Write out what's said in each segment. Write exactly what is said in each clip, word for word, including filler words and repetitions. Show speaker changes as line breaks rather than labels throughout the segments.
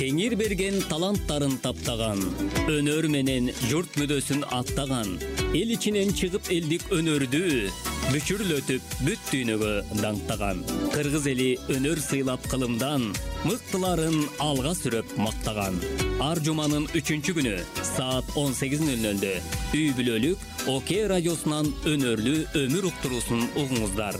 Теңир берген таланттарын таптаган, өнөр менен журт мүдөсүн аттаган, эл ичинен чыгып элдик өнөрдү бүчүрлөтүп бүт дүйнөгө даңктаган. Кыргыз эли өнөр сыйлап кылымдан, мыктыларын алга сүрөп мактаган. Ар жуманын үчүнчү күнү саат он сегиз нөл нөлдө үй бүлөлүк ОК радиосунан өнөрлүү өмүр уктуруусун угуңуздар.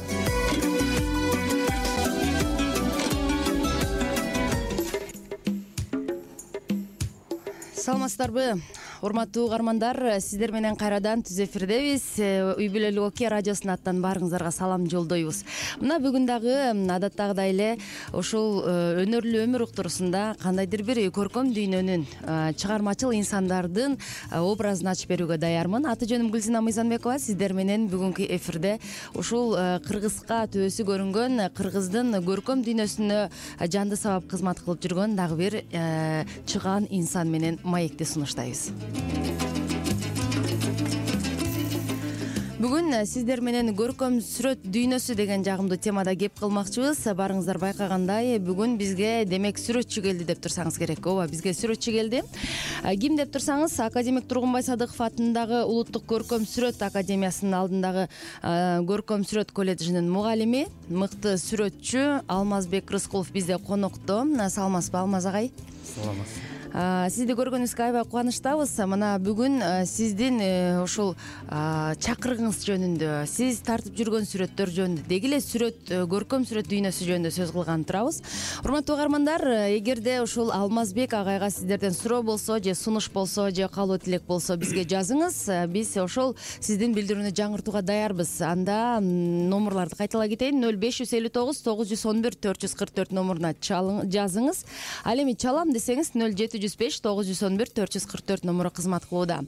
Саламатсыздарбы, урматтуу угармандар, сиздер менен кайрадан түз эфирдебиз. Үй бүлөлүк ОК радиосунун аттан баарыңыздарга салам жолдойбуз. Мына бүгүн дагы адаттагыдай эле ушул өнөрлүү өмүр уктуруусунда кандайдыр бир көркөм дүйнөнүн, чыгармачыл инсандардын образын ачып берүүгө даярмын. Аты жөнүм Гүлсина Мыйзамбекова. Сиздер менен бүгүнкү эфирде ушул кыргызга төбөсү көрүнгөн, кыргыздын көркөм дүйнөсүнө жанды сабап кызмат кылып жүргөн дагы бир чыгаан инсан менен маекти сунуштайбыз. Бүгүн сиздер менен көркөм сүрөт дүйнөсү деген жагымдуу темада кеп кылмакчыбыз. Барыңыздар байкагандай, бүгүн бизге демек сүрөтчү келди деп турсаңыз керек. Ооба, бизге сүрөтчү келди. Ким деп турсаңыз, академик Тургунбай Садыков атындагы Улуттук көркөм сүрөт академиясынын алдындагы көркөм сүрөт колледжинин мугалими, мыкты сүрөтчү Алмазбек Рыскулов бизде конокто. Саламатсызбы, Алмаз агай?
Саламатсыз.
Сизди көргөнүбүзгө аябай кубанычтабыз. Мына бүгүн сиздин ушул чакырыгыңыз жөнүндө, сиз тартып жүргөн сүрөттөр жөнүндө, деги эле сүрөт, көркөм сүрөт дүйнөсү жөнүндө сөз кылганы турабыз. Урматтуу угармандар, эгерде ушул Алмазбек агайга сиздерден суроо болсо, же сунуш болсо, же каалоо тилек болсо, бизге жазыңыз. Биз ошол сиздин билдирүүнү жаңыртууга даярбыз. Анда номурларды кайталай кетейин: нөл беш жүз элүү тогуз тогуз жүз он бир төрт жүз кырк төрт номуруна жазыңыз. Ал эми чалам десеңиз нөл жети жүз беш тогуз жүз он бир төрт жүз кырк төрт номуру кызмат кылууда.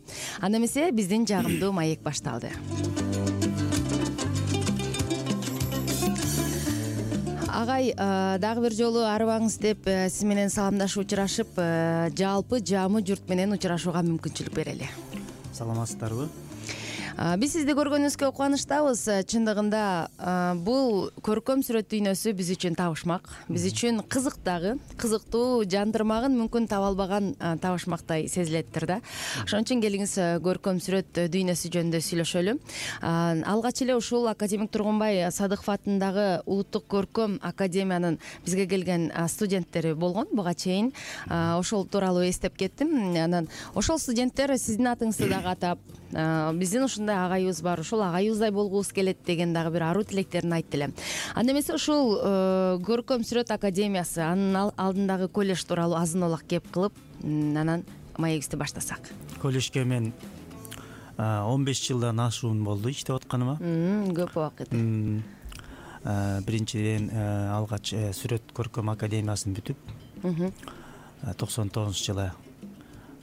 Анда эмесе биздин жагымдуу маек башталды. Агай, дагы бир жолу арыбаңыз деп сиз менен саламдашып учурашып, жалпы жамы журт менен учурашууга мүмкүнчүлүк берели.
Саламатсыздарбы?
Биз сизди көргөнүбүзгө кубанычтабыз. Чындыгында бул көркөм сүрөт дүйнөсү биз үчүн табышмак, биз үчүн кызык дагы, кызыктуу, жандырмагын мүмкүн таба албаган табышмактай сезилеттир да. Ошон үчүн келиңиз көркөм сүрөт дүйнөсү жөнүндө сүйлөшөлү. Алгач эле ушул академик Тургунбай Садыков атындагы Улуттук көркөм академиянын бизге келген студенттери болгон буга чейин. Ошол тууралуу эстеп кеттим. Анан ошол студенттер сиздин атыңызды дагы атап, биздин ушундай агайыбыз бар, ушул агайыбыздай болгубуз келет деген дагы бир аруу тилектерин айтты эле. Анда эмесе ушул көркөм сүрөт академиясы, анын алдындагы колледж тууралуу азын олак кеп кылып, анан маегибизди баштасак.
Колледжге мен он беш жылдан ашуун болду иштеп атканыма.
Көп убакыт.
Биринчиден алгач сүрөт көркөм академиясын бүтүп, токсон тогузунчу жылы,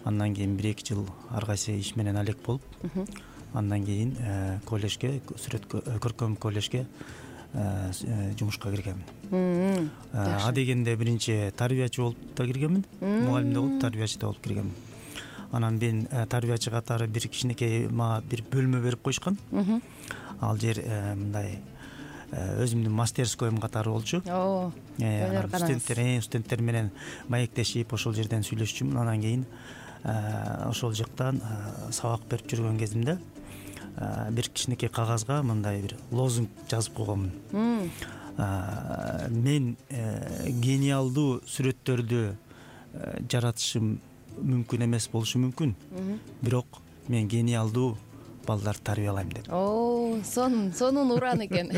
андан кийин бир эки жыл ар кайсы иш менен алек болуп, андан кийин колледжге, сүрөт көркөм колледжге жумушка киргенмин. А дегенде биринчи тарбиячы болуп да киргенмин, мугалим да болуп, тарбиячы да болуп киргенмин. Анан мен тарбиячы катары бир кичинекей мага бир бөлмө берип коюшкан. Ал жер мындай өзүмдүн мастерскойм катары болчу. Студенттер, студенттер менен маектешип ошол жерден сүйлөшчүмүн. Анан кийин ошол жактан сабак берип жүргөн кезимде бир кичинекей кагазга мындай бир лозунг жазып койгонмун. Мен гениалдуу сүрөттөрдү жаратышым мүмкүн эмес болушу мүмкүн, бирок мен гениалдуу балдар тарбиялайм деп.
О, сонун, сонун уран экен.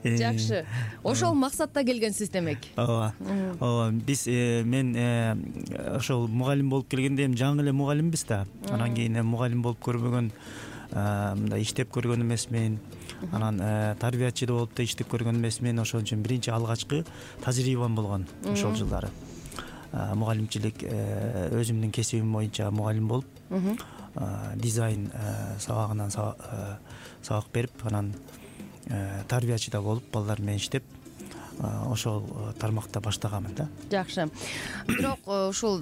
Жакшы. Ошол максатта келгенсиз демек.
Ооба. Ооба, биз мен ошол мугалим болуп келгенде эми жаңы эле мугалимбиз да. Анан кийин мугалим болуп көрбөгөн, мындай иштеп көргөн эмесмин. Анан тарбиячы да болуп да иштеп көргөн эмесмин. Ошон үчүн биринчи алгачкы тажрыйбам болгон ошол жылдары. Мугалимчилик өзүмдүн кесибим боюнча мугалим болуп, дизайн сабагынан сабак берип, анан тарбиячы да болуп, балдар менен иштеп, ошол тармакта баштаганмын да.
Жакшы. Бирок ушул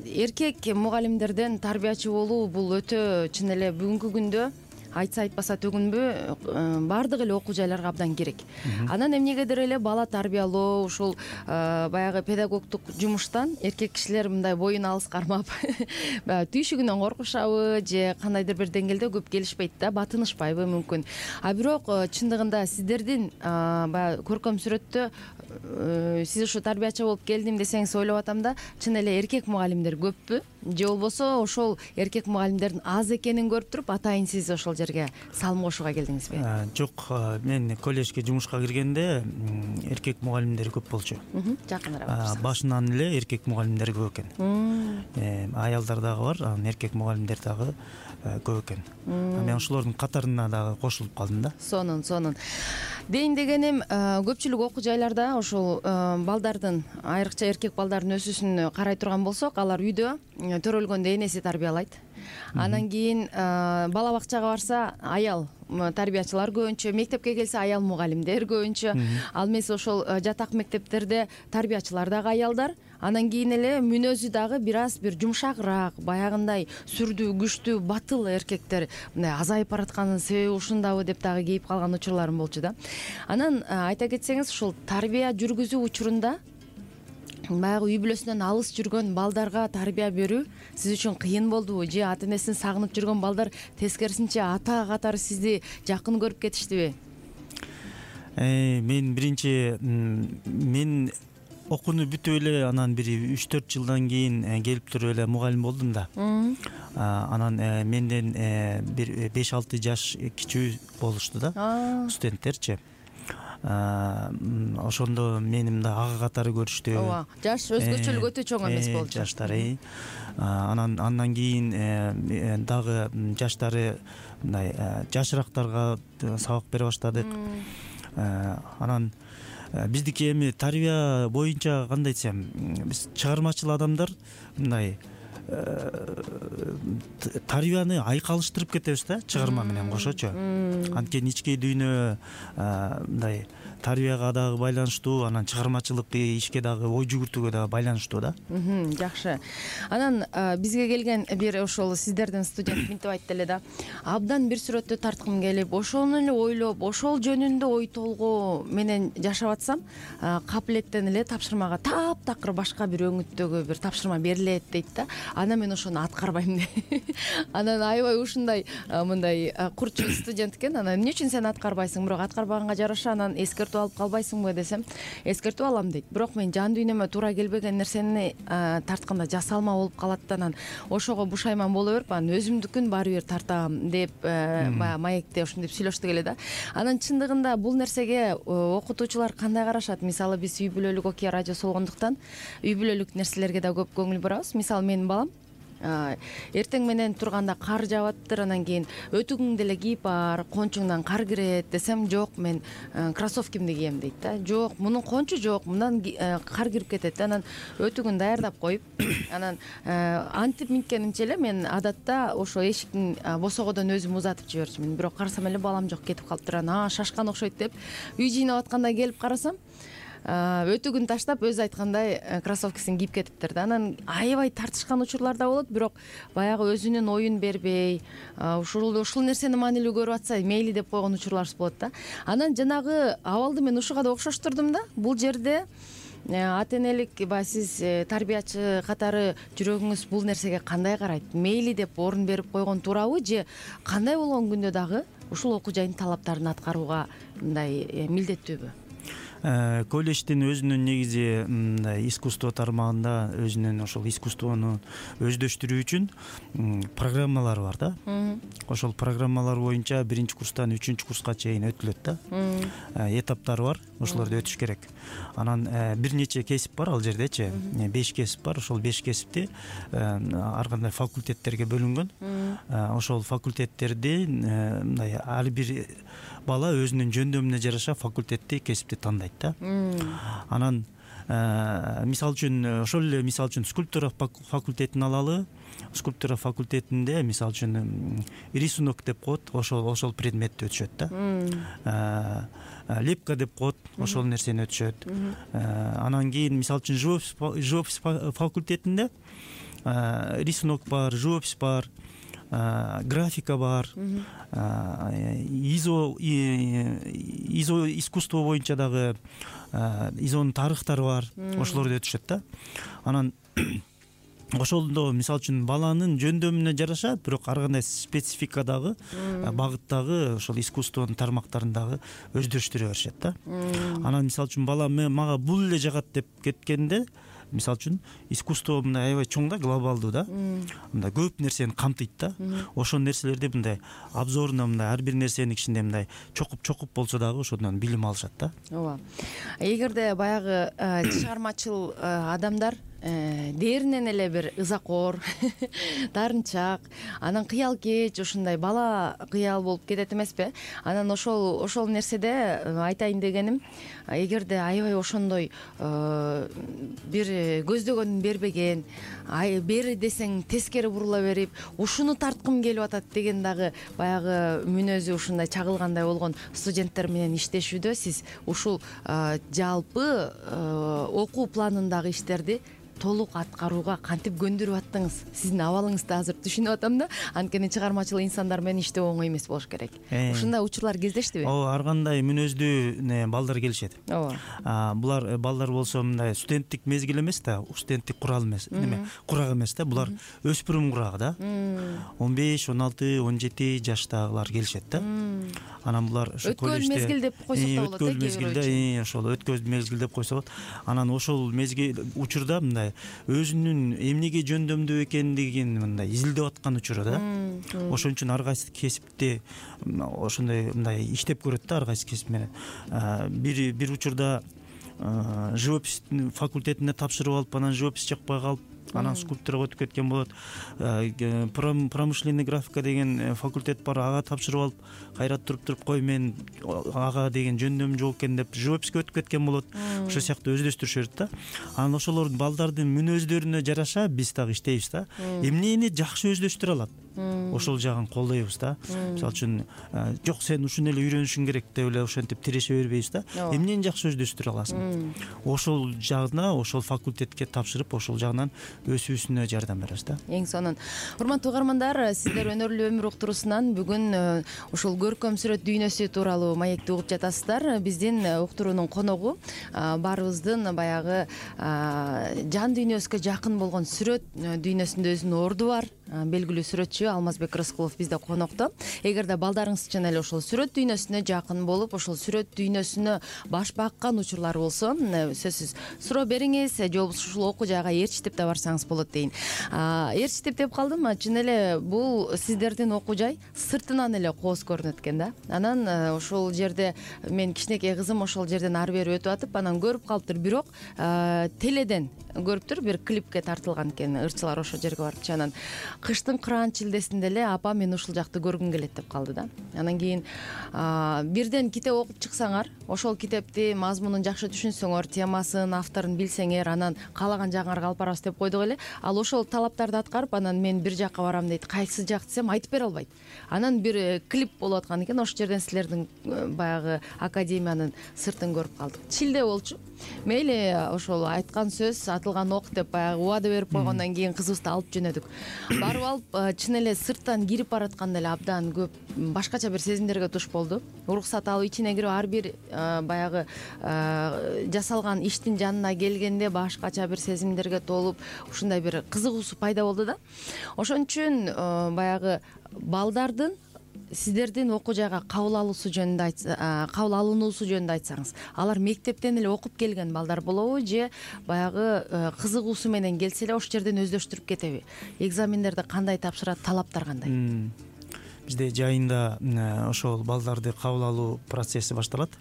эркек мугалимдерден тарбиячы болуу бул өтө чын эле бүгүнкү күндө айтса айтпаса төгүнбү баардык эле окуу жайларга абдан керек. Анан эмнегедир эле бала тарбиялоо ушул баягы педагогдук жумуштан эркек кишилер мындай боюн алыс кармап баягы түйшүгүнөн коркушабы же кандайдыр бир деңгээлде көп келишпейт да, батынышпайбы мүмкүн. А бирок чындыгында сиздердин баягы көркөм сүрөттө сиз ушу тарбиячы болуп келдим десеңиз ойлоп атам да, чын эле эркек мугалимдер көппү же болбосо ошол эркек мугалимдердин аз экенин көрүп туруп атайын сиз ошол жерге салым кошууга келдиңизби?
Жок, мен колледжге жумушка киргенде эркек мугалимдер көп болчу.
Жакыныраак
башынан эле эркек мугалимдер көп экен. Аялдар дагы бар, анан эркек мугалимдер дагы көп экен. Мен ошолордун катарына дагы кошулуп калдым да.
Сонун, сонун. Дейин дегеним, көпчүлүк окуу жайларда ошол балдардын, айрыкча эркек балдардын өсүүсүн карай турган болсок, алар үйдө төрөлгөндө энеси тарбиялайт. Анан кийин бала бакчага барса аял тарбиячылар көбүнчө, мектепке келсе аял мугалимдер көбүнчө. Ал эмес ошол жатак мектептерде тарбиячылар дагы аялдар. Анан кийин эле мүнөзү дагы бир аз бир жумшагыраак, баягындай сүрдүү, күчтүү, батыл эркектер мындай азайып баратканын себеби ушундабы деп дагы кейип калган учурларым болчу да. Анан айта кетсеңиз, ушул тарбия жүргүзүү учурунда баягы үй бүлөсүнөн алыс жүргөн балдарга тарбия берүү сиз үчүн кыйын болдубу же ата энесин сагынып жүргөн балдар тескерисинче ата катары сизди жакын көрүп кетиштиби?
Мен биринчи мен окууну бүтүп эле анан бир үч төрт жылдан кийин келип туруп эле мугалим болдум да. Анан менден бир беш алты жаш кичүү болушту да, студенттерчи. Ошондо мени мындай ага катары көрүштү.
Ооба, жаш өзгөчөлүк өтө чоң эмес болчу.
Жаштары. Анан андан кийин дагы жаштары мындай жашырактарга сабак бере баштадык. Анан биздики эми тарбия боюнча кандай десем, биз чыгармачыл адамдар мындай тарбияны айкалыштырып кетебиз да, чыгарма менен кошочу. Анткени ички дүйнө мындай тарбияга дагы байланыштуу, анан чыгармачылык ишке дагы ой жүгүртүүгө дагы байланыштуу да.
Жакшы. Анан бизге келген бир ошол сиздердин студент мынтип айтты эле да, абдан бир сүрөттү тарткым келип, ошону эле ойлоп, ошол жөнүндө ой толгоо менен жашап атсам, капилеттен эле тапшырмага таптакыр башка бир өңүттөгү бир тапшырма берилет дейт да. Анан мен ошону аткарбайм дейт. Анан аябай ушундай мындай курчу студент экен. Анан эмне үчүн сен аткарбайсың? Бирок аткарбаганга жараша анан эскертип алып калбайсыңбы десем, эскертип алам дейт. Бирок мен жан дүйнөмө туура келбеген нерсени тартканда жасалма болуп калат да, анан ошого бушайман боло берип, анан өзүмдүкүн баары бир тартам деп баягы маекте ушинтип сүйлөштүк эле да. Анан чындыгында бул нерсеге окутуучулар кандай карашат? Мисалы биз үй бүлөлүк окуя радиосу болгондуктан үй бүлөлүк нерселерге да көп көңүл бурабыз. Мисалы менин балам эртең менен турганда кар жаабаттыр, анан кийин өтүгүңдү эле кийип бар, кончуңдан кар кирет десем, жок, мен кроссовкимди кийем дейт да. Жок, мунун кончу жок, мындан кар кирип кетет. Анан өтүгүн даярдап коюп, анан антип минткенимче эле мен адатта ошо эшиктин босогодон өзүм узатып жиберчүмүн. Бирок карасам эле балам жок, кетип калыптыр. Анан шашкан окшойт деп үй жыйнап атканда келип карасам, өтүгүн таштап өзү айткандай кроссовкисин кийип кетиптир да. Анан аябай тартышкан учурлар да болот, бирок баягы өзүнүн оюн бербей, ушул ушул нерсени маанилүү көрүп атса мейли деп койгон учурларыбыз болот да. Анан жанагы абалды мен ушуга да окшоштурдум да. Бул жерде ата энелик, баягы сиз тарбиячы катары жүрөгүңүз бул нерсеге кандай карайт? Мейли деп орун берип койгон туурабы же кандай болгон күндө дагы ушул окуу жайдын талаптарын аткарууга мындай милдеттүүбү?
Колледждин өзүнүн негизи мындай искусство тармагында өзүнүн ошол искусствону өздөштүрүү үчүн программалар бар да. Ошол программалар боюнча биринчи курстан үчүнчү курска чейин өтүлөт да. Этаптары бар, ошолорду өтүш керек. Анан бир нече кесип бар ал жердечи. беш кесип бар. Ошол беш кесипти ар кандай факультеттерге бөлүнгөн. Ошол факультеттерди мындай ар бир бала өзүнүн жөндөмүнө жараша факультетти, кесипти тандайт да. Анан мисалы үчүн ошол эле мисалы үчүн скульптура факультетин алалы. Скульптура факультетинде мисалы үчүн рисунок деп коет, ошол ошол предметти өтүшөт да. Лепка деп коет, ошол нерсени өтүшөт. Анан кийин мисалы үчүн живопись факультетинде рисунок бар, живопись бар. графика бар, изо изо искусство боюнча дагы изонун тарыхтары бар, ошолорду өтүшөт да. Анан ошондо мисалы үчүн баланын жөндөмүнө жараша, бирок ар кандай спецификадагы багыттагы ошол искусствонун тармактарын дагы өздөштүрө беришет да. Анан мисалы үчүн бала мага бул эле жагат деп кеткенде, мисалы үчүн искусство мындай аябай чоң да, глобалдуу да, мындай көп нерсени камтыйт да. Ошол нерселерди мындай обзорно мындай ар бир нерсенин ичинде мындай чокуп чокуп болсо дагы ошодон билим алышат да.
Ооба. Эгерде баягы чыгармачыл адамдар дээринен эле бир ызакор, таарынчак, анан кыял кеч, ушундай бала кыял болуп кетет эмеспи? Анан ошол ошол нерседе айтайын дегеним, эгерде аябай ошондой бир көздөгөнүн бербеген, бери десең тескери бурула берип, ушуну тарткым келип атат деген дагы баягы мүнөзү ушундай чагылгандай болгон студенттер менен иштешүүдө сиз ушул жалпы окуу планындагы иштерди толук аткарууга кантип көндүрүп аттыңыз? Сиздин абалыңызды азыр түшүнүп атам да, анткени чыгармачыл инсандар менен иштөө оңой эмес болуш керек. Ушундай учурлар кездештиби?
Ооба, ар кандай мүнөздүү балдар келишет.
Ооба.
Булар балдар болсо мындай студенттик мезгил эмес да, студенттик курал эмес, неме, курак эмес да, булар өспүрүм курагы да. он беш, он алты, он жети жаштагылар келишет да. Анан булар ошо
колледжде өткөн мезгил деп койсок да болот,
өткөн мезгилде, ошол өткөн мезгил деп койсо болот. Анан ошол мезгил учурда мындай өзүнүн эмнеге жөндөмдүү экендигин мындай изилдеп аткан учуру да. Ошон үчүн ар кайсы кесипти ошондой мындай иштеп көрөт да, ар кайсы кесип менен. Бир бир учурда живопись факультетине тапшырып алып, анан живопись жакпай калып, анан скульптурага өтүп кеткен болот. Промышленный графика деген факультет бар, ага тапшырып алып, кайра туруп туруп кой мен ага деген жөндөм жок экен деп живописке өтүп кеткен болот. Ошол сыяктуу өздөштүрүшөт да. Анан ошолордун балдардын мүнөздөрүнө жараша биз дагы иштейбиз да. Эмнени жакшы өздөштүрө алат, ошол жагын колдойбуз да. Мисалы үчүн жок сен ушуну эле үйрөнүшүң керек деп эле ошентип тиреше бербейбиз да. Эмнени жакшы өздөштүрө аласың, ошол жагына, ошол факультетке тапшырып, ошол жагынан өсүүсүнө жардам беребиз да.
Эң сонун. Урматтуу угармандар, сиздер өнөрлүү өмүр уктуруусунан бүгүн ушул көркөм сүрөт дүйнөсү тууралуу маекти угуп жатасыздар. Биздин уктуруунун коногу баарыбыздын баягы жан дүйнөсүнө жакын болгон сүрөт дүйнөсүндө өзүнүн орду бар белгилүү сүрөтчү Алмазбек Рыскулов бизде конокто. Эгерде балдарыңыз чын эле ошол сүрөт дүйнөсүнө жакын болуп, ошол сүрөт дүйнөсүнө баш баккан учурлар болсо, сөзсүз суроо бериңиз, же болбосо ушул окуу жайга ээрчитип да барсаңыз болот дейин. Ээрчитип деп калдым, чын эле бул сиздердин окуу жай сыртынан эле кооз көрүнөт экен да. Анан ошол жерде мен кичинекей кызым ошол жерден ары бери өтүп атып, анан көрүп калыптыр, бирок теледен көрүптүр, бир клипке тартылган экен, ырчылар ошол жерге барыпчы. Анан кыштын кыраан чилдесинде эле апа мен ушул жакты көргүм келет деп калды да. Анан кийин бирден китеп окуп чыксаңар, ошол китепти мазмунун жакшы түшүнсөңөр, темасын, авторун билсеңер, анан каалаган жагыңарга алып барабыз деп койдук эле. Ал ошол талаптарды аткарып, анан мен бир жакка барам дейт, кайсы жак десем айтып бере албайт. Анан бир клип болуп аткан экен, ошол жерден силердин баягы академиянын сыртын көрүп калдык. Чилде болчу. Мейли ошол айткан сөз атылган ок деп баягы убада берип койгондон кийин кызыбызды алып жөнөдүк. Барып алып, чын эле сырттан кирип баратканда эле абдан көп башкача бир сезимдерге туш болду. Уруксат алып ичине кирип ар бир баягы жасалган иштин жанына келгенде башкача бир сезимдерге толуп, ушундай бир кызыгуусу пайда болду да. Ошон үчүн баягы балдардын сиздердин окуу жайга кабыл алуусу жөнүндө кабыл алынуусу жөнүндө айтсаңыз, алар мектептен эле окуп келген балдар болобу же баягы кызыгуусу менен келсе эле ошол жерден өздөштүрүп кетеби? Экзамендерди кандай тапшырат, талаптар кандай?
Бизде жайында ошол балдарды кабыл алуу процесси башталат.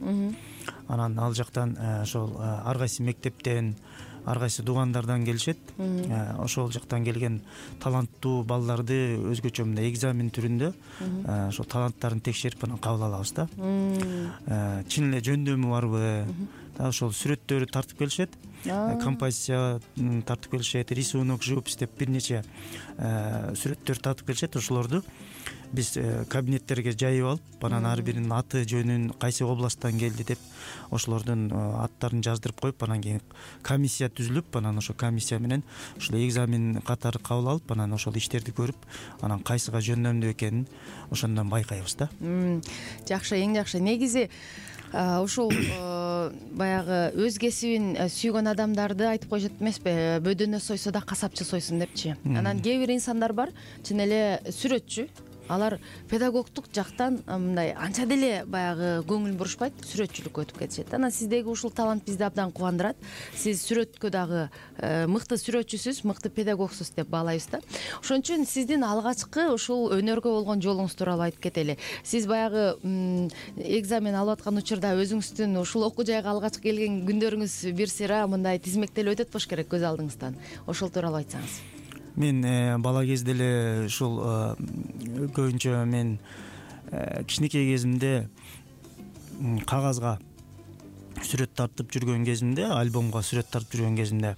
Анан ал жактан ошол ар кайсы мектептен, ар кайсы туугандардан келишет. Ошол жактан келген таланттуу балдарды өзгөчө мындай экзамен түрүндө ошол таланттарын текшерип анан кабыл алабыз да. Чын эле жөндөмү барбы? Ошол сүрөттөрү тартып келишет. Композиция тартып келишет, рисунок, живопись деп бир нече сүрөттөр тартып келишет. Ошолорду биз кабинеттерге жайып алып анан ар биринин аты жөнүн кайсы областтан келди деп ошолордун аттарын жаздырып коюп анан кийин комиссия түзүлүп анан ошо комиссия менен ушул экзамен катары кабыл алып анан ошол иштерди көрүп анан кайсыга жөндөмдүү экенин ошондон байкайбыз да.
Жакшы, эң жакшы. Негизи ушул баягы өз кесибин сүйгөн адамдарды айтып коюшат эмеспи, бөдөнө сойсо да касапчы сойсун депчи. Анан кээ бир инсандар бар, чын эле сүрөтчү, алар педагогдук жактан мындай анча деле баягы көңүл бурушпайт, сүрөтчүлүккө өтүп кетишет. Анан сиздеги ушул талант бизди абдан кубандырат. Сиз сүрөткө дагы мыкты сүрөтчүсүз, мыкты педагогсуз деп баалайбыз да. Ошон үчүн сиздин алгачкы ушул өнөргө болгон жолуңуз тууралуу айтып кетели. Сиз баягы экзамен алып аткан учурда өзүңүздүн ушул окуу жайга алгач келген күндөрүңүз бир сыйра мындай тизмектелип өтөт болуш керек көз алдыңыздан. Ошол тууралуу айтсаңыз.
Мен бала кезде эле ушул көбүнчө мен кичинекей кезимде кагазга сүрөт тартып жүргөн кезимде, альбомго сүрөт тартып жүргөн кезимде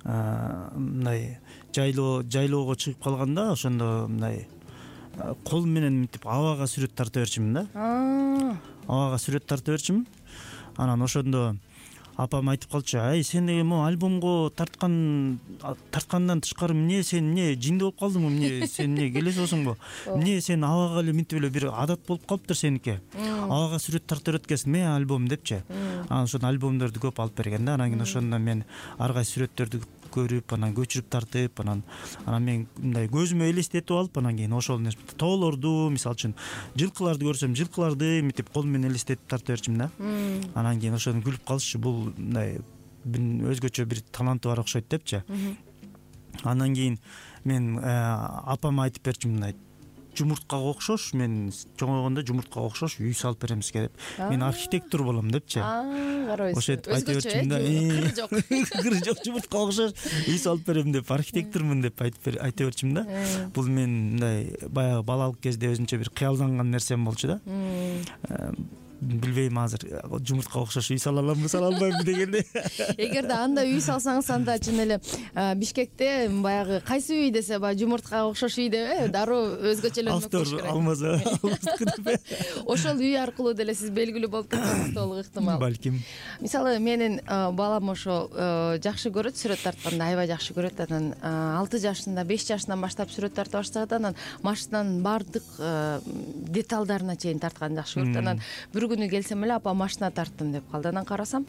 мындай жайлоо жайлоого чыгып калганда ошондо мындай кол менен мынтип абага сүрөт тарта берчимин да. Абага сүрөт тарта берчимин. Анан ошондо апам айтып калчу: "Ай, сен деги могу альбомго тарткан тарткандан тышкары эмне сен эмне жинди болуп калдыңбы, эмне сен эмне келесиңбу? Эмне сен абага эле мынтип эле бир адат болуп калыптыр сеники. Абага сүрөт тарта берет экенсиң, эмне альбом" депчи. Анан ошондо альбомдорду көп алып берген да. Анан кийин ошондон мен ар кайсы сүрөттөрдү көрүп, анан көчүрүп тартып, анан анан мен мындай көзүмө элестетип алып, анан кийин ошол тоолорду, мисалы үчүн жылкыларды көрсөм, жылкыларды мынтип кол менен элестетип тарта берчимин да. Анан кийин ошону күлүп калышчу, бул мындай өзгөчө бир таланты бар окшойт депчи. Андан кийин мен апама айтып берчимин, мындай жумурткага окшош, мен чоңойгондо жумурткага окшош үй салып беремизге деп. Мен архитектор болом депчи.
Карабайсыз.
Ошентип айтып берчимин да. Кыры жок. Кыры жок, жумурткага окшош үй салып берем деп, архитектормун деп айтып айтып берчимин да. Бул мен мындай баягы балалык кезде өзүнчө бир кыялданган нерсем болчу да. Билбейм азыр жумуртка окшош үй сала аламбы, сала албаймбы дегенде.
Эгерде анда үй салсаңыз, анда чын эле Бишкекте баягы кайсы үй десе, баягы жумуртка окшош үй деп дароо өзгөчөлөнмөк болуш керек.
Алмаза албаздыкы.
Ошол үй аркылуу деле сиз белгилүү болуп кетсеңиз толук ыктымал.
Балким.
Мисалы, менин балам ошо жакшы көрөт, сүрөт тартканды аябай жакшы көрөт. Анан алты жашында, беш жашынан баштап сүрөт тарта баштаган, анан машинанын баардык деталдарына чейин тартканды жакшы көрөт. Анан бир күнү келсем эле, апа машина тарттым деп калды. Анан карасам,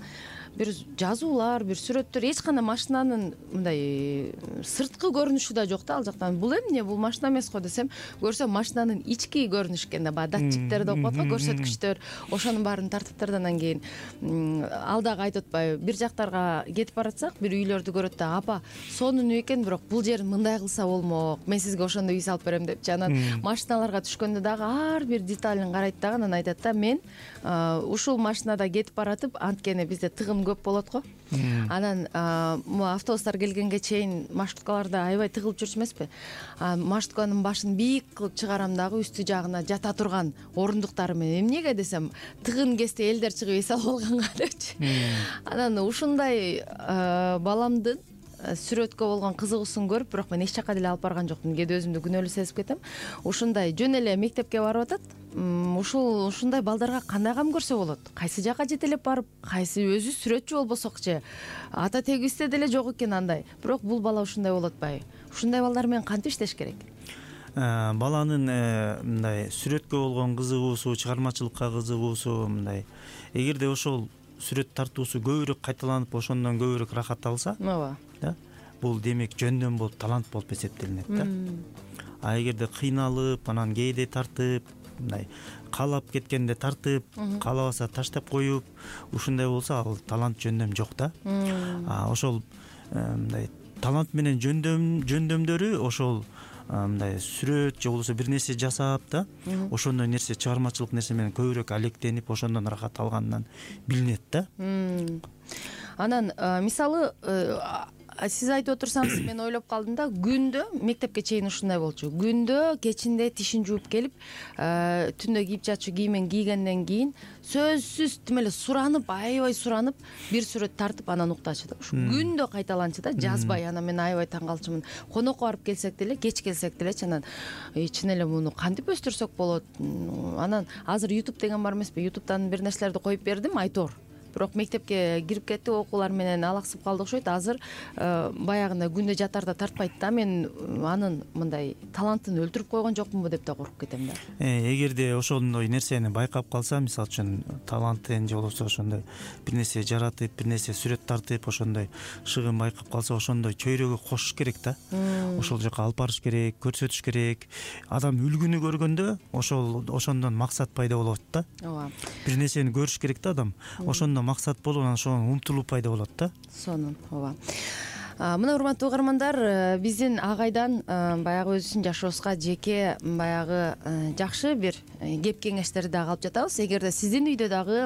бир жазуулар, бир сүрөттөр, эч кандай машинанын мындай сырткы көрүнүшү да жок да ал жактан. Бул эмне, бул машина эмес го десем, көрсөм машинанын ички көрүнүш экен да, баягы датчиктер деп коет го, көрсөткүчтөр, ошонун баарын тартыптыр. Анан кийин ал дагы айтып атпайбы, бир жактарга кетип баратсак, бир үйлөрдү көрөт да, апа, сонун үй экен, бирок бул жерин мындай кылса болмок, мен сизге ошондой үй салып берем депчи. Анан машиналарга түшкөндө дагы ар бир деталин карайт дагы, анан айтат да, мен ушул машинада кетип баратып, анткени бизде тыгын көп болот го. Анан могу автобустар келгенге чейин маршруткаларда аябай тыгылып жүрчү эмеспи? Маршрутканын башын бийик кылып чыгарам дагы, үстү жагына жата турган орундуктары менен. Эмнеге десем, тыгын кезде элдер чыгып эс алып алганга депчи. Анан ушундай баламдын сүрөткө болгон кызыгуусун көрүп, бирок мен эч жака деле алып барган жокмун. Кээде өзүмдү күнөөлүү сезип кетем. Ушундай жөн эле мектепке барып атат. Ушул ушундай балдарга кандай кам көрсө болот? Кайсы жака жетелеп барып, кайсы өзү сүрөтчү болбосокчу, ата тегибизде деле жок экен андай. Бирок бул бала ушундай болуп атпайбы? Ушундай балдар менен кантип иштеш керек?
Баланын мындай сүрөткө болгон кызыгуусу, чыгармачылыкка кызыгуусу мындай, эгерде ошол сүрөт тартуусу көбүрөөк кайталанып, ошондон көбүрөөк рахат алса, ооба, да, бул демек жөндөм болуп, талант болуп эсептелинет да. А эгерде кыйналып, анан кээде тартып, мындай каалап кеткенде тартып, каалабаса таштап коюп, ушундай болсо ал талант, жөндөм жок да. А ошол мындай талант менен жөндөм жөндөмдөрү ошол мындай сүрөт же болбосо бир нерсе жасап да, ошондой нерсе, чыгармачылык нерсе менен көбүрөөк алектенип, ошондон рахат алганынан билинет да.
Анан мисалы сиз айтып отурсаңыз мен ойлоп калдым да, күндө мектепке чейин ушундай болчу. Күндө кечинде тишин жууп келип, түндө кийип жатчу кийимен кийгенден кийин сөзсүз тим эле суранып, аябай суранып, бир сүрөт тартып анан уктачу да. Ушу күндө кайталанчу да, жазбай. Анан мен аябай таң калчумун. Конокко барып келсек деле, кеч келсек делечи, анан чын эле муну кантип өстүрсөк болот? Анан азыр YouTube деген бар эмеспи? YouTube'дан бир нерселерди коюп бердим, айтор. Бирок мектепке кирип кетти, окуулар менен алаксып калды окшойт. Азыр баягында күндө жатарда тартпайт да. Мен анын мындай талантын өлтүрүп койгон жокмунбу деп да коркуп кетем да.
Эгерде ошондой нерсени байкап калса, мисалы үчүн талантын же болбосо ошондой бир нерсе жаратып, бир нерсе сүрөт тартып, ошондой шыгын байкап калса, ошондой чөйрөгө кошуш керек да. Ошол жака алып барыш керек, көрсөтүш керек. Адам үлгүнү көргөндө ошол ошондон максат пайда болот да.
Ооба.
Бир нерсени көрүш керек да адам. Ошондон максат болуп, анан ошого умтулуп пайда болот да.
Сонун, ооба. Мына урматтуу угармандар, биздин агайдан баягы өзүбүздүн жашообузга жеке баягы жакшы бир кеп кеңештерди дагы алып жатабыз. Эгерде сиздин үйдө дагы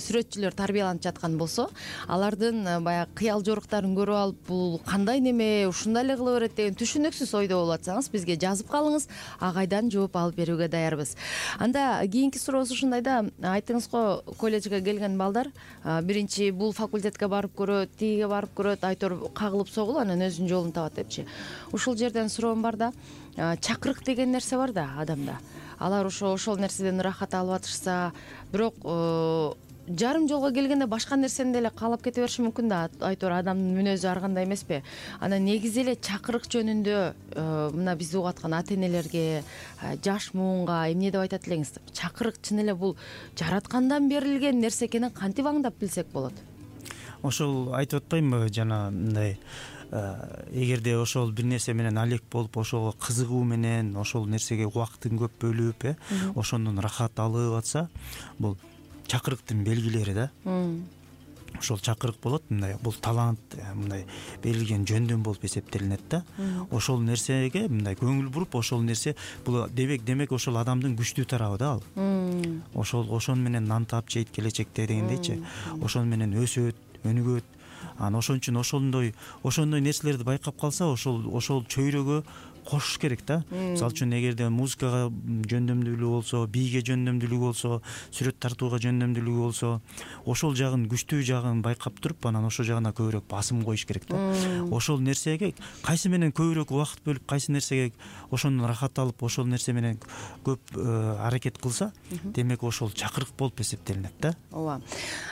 сүрөтчүлөр тарбияланып жаткан болсо, алардын баягы кыял жоруктарын көрүп алып, бул кандай неме, ушундай эле кыла берет деген түшүнүксүз ойдо болуп атсаңыз, бизге жазып калыңыз, агайдан жооп алып берүүгө даярбыз. Анда кийинки сурообуз ушундай да, айттыңыз го, колледжге келген балдар биринчи бул факультетке барып көрөт, тигиге барып көрөт, айтор кагылып согулуп анан өзүнүн жолун табат депчи. Ушул жерден суроом бар да, чакырык деген нерсе бар да адамда. Алар ошо ошол нерседен ырахат алып атышса, бирок жарым жолго келгенде башка нерсени деле каалап кете бериши мүмкүн да. Айтор адамдын мүнөзү ар кандай эмеспи? Анан негизи эле чакырык жөнүндө мына бизди угуп аткан ата-энелерге, жаш муунга эмне деп айтат элеңиз? Чакырык чын эле бул жараткандан берилген нерсе экенин кантип аңдап билсек болот?
Ошол айтып атпаймынбы жана мындай, эгерде ошол бир нерсе менен алек болуп, ошого кызыгуу менен, ошол нерсеге убактын көп бөлүп, э, ошондон рахат алып атса, бул чакырыктын белгилери да. Ошол чакырык болот, мындай бул талант, мындай берилген жөндөм болуп эсептелинет да. Ошол нерсеге мындай көңүл буруп, ошол нерсе бул демек демек ошол адамдын күчтүү тарабы да ал. Ошол ошон менен нан таап жейт келечекте дегендейчи. Ошон менен өсөт, өнүгөт. Анан ошон үчүн ошондой ошондой нерселерди байкап калса, ошол ошол чөйрөгө кошуш керек да. Мисалы үчүн эгерде музыкага жөндөмдүүлүгү болсо, бийге жөндөмдүүлүгү болсо, сүрөт тартууга жөндөмдүүлүгү болсо, ошол жагын, күчтүү жагын байкап туруп, анан ошол жагына көбүрөөк басым коюш керек да. Ошол нерсеге кайсы менен көбүрөөк убакыт бөлүп, кайсы нерсеге ошондон рахат алып, ошол нерсе менен көп аракет кылса, демек ошол чакырык болуп эсептелинет да.
Ооба.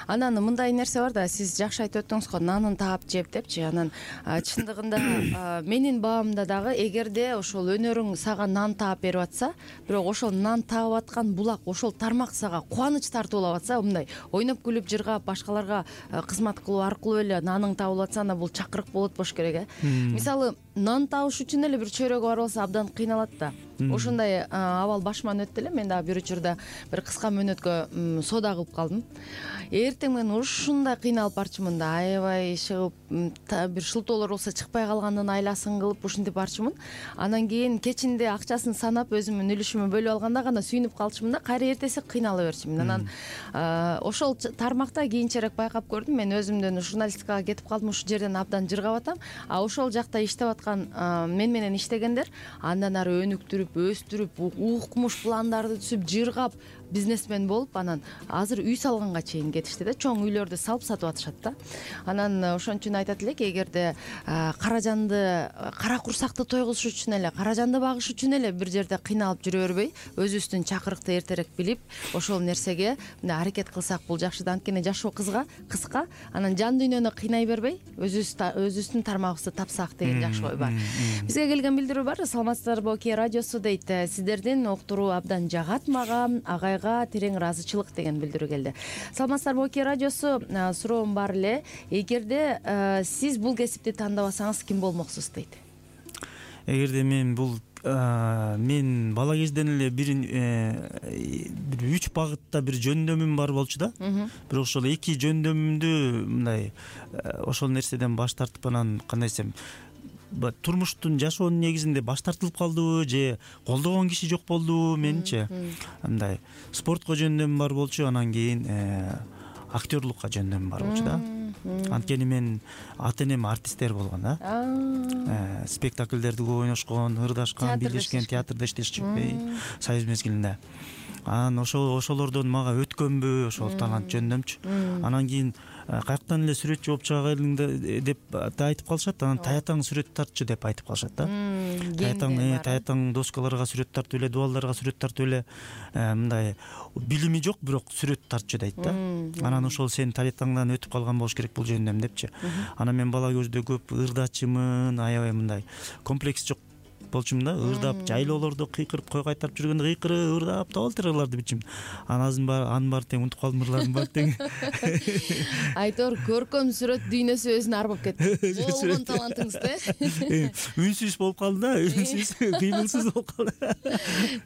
Анан мындай нерсе бар да, сиз жакшы айтып өттүңүз го, нанын таап жеп депчи. Анан чындыгында менин баамда дагы эгерде ошол өнөрүң сага нан таап берип атса, бирок ошол нан таап аткан булак, ошол тармак сага кубаныч тартуулап атса, мындай ойноп күлүп жыргап, башкаларга кызмат кылуу аркылуу эле наның табылып атса, анда бул чакырык болот болуш керек, э. Мисалы, нан табыш үчүн эле бир чөйрөгө барып алса абдан кыйналат да. Ошондой абал башыман өттү эле. Мен дагы бир учурда бир кыска мөөнөткө соода кылып калдым. Эртең менен ушундай кыйналып барчумун да, аябай чыгып, бир шылтоолор болсо чыкпай калгандын айласын кылып ушинтип барчумун. Анан кийин кечинде акчасын санап, өзүмдүн үлүшүмө бөлүп алганда гана сүйүнүп калчумун да, кайра эртеси кыйнала берчүмүн. Анан ошол тармакта кийинчерээк байкап көрдүм, мен өзүмдөн журналистикага кетип калдым, ушул жерден абдан жыргап атам. А ошол жакта иштеп аткан мен менен иштегендер андан ары өнүктүрүп, өстүрүп, укмуш пландарды түзүп, жыргап, бизнесмен болуп, анан азыр үй салганга чейин кетишти да, чоң үйлөрдү салып сатып атышат да. Анан ошон үчүн айтат элек, эгерде каражанды, кара курсакты тойгузуш үчүн эле, каражанды багыш үчүн эле бир жерде кыйналып жүрө бербей, өзүбүздүн чакырыкты эртерээк билип, ошол нерсеге мындай аракет кылсак бул жакшы да. Анткени жашоо кызга, кыска, анан жан дүйнөнү кыйнай бербей, өзүбүздүн тармагыбызды тапсак деген жакшы ой бар. Бизге келген билдирүү бар. Саламатсыздарбы, Окей радиосу дейт. Сиздердин уктуруу абдан жагат мага, агайга терең ыраазычылык деген билдирүү келди. Саламатсыздарбы, Окей радиосу. Суроом бар эле. Эгерде сиз бул кесипти тандабасаңыз ким болмоксуз дейт.
Эгерде мен бул мен бала кезден эле бир бир үч багытта бир жөндөмүм бар болчу да. Бирок ошол эки жөндөмүмдү мындай ошол нерседен баш тартып, анан кандай десем, турмуштун, жашоонун негизинде баш тартылып калдыбы же колдогон киши жок болдубу менчи. Андай спортко жөндөмүм бар болчу, анан кийин актерлукка жөндөмүм бар болчу да. анткени мен ата энем артисттер болгон да, спектакльдерди көп ойношкон, ырдашкан, бийлешкен, театрда иштешчү Союз мезгилинде. Анан ошол ошолордон мага өткөнбү ошол талант жөнүндөмчү. Анан кийин каяктан эле сүрөтчү болуп чыга келдиң деп айтып калышат. Анан таятаң сүрөт тартчы деп айтып калышат да. Таятаң таятаң доскаларга сүрөт тартып эле, дубалдарга сүрөт тартып эле, мындай билими жок, бирок сүрөт тартчы дейт да. Анан ошол сен таятаңдан өтүп калган болуш керек бул жөнүндөм депчи. Анан мен бала көздө көп ырдачымын, аябай мындай комплекс жок болчумун да, ырдап жайлоолордо кыйкырып кой кайтарып жүргөндө кыйкырып ырдап табалдыр ырларды билчүмүн. Анан анын баары тең унутуп калдым, ырлардын баары тең.
Айтор көркөм сүрөт дүйнөсү өзүнө ар болуп кетти. Болгон талантыңызды.
Үнсүз болуп калды да, үнсүз, кыймылсыз болуп калды.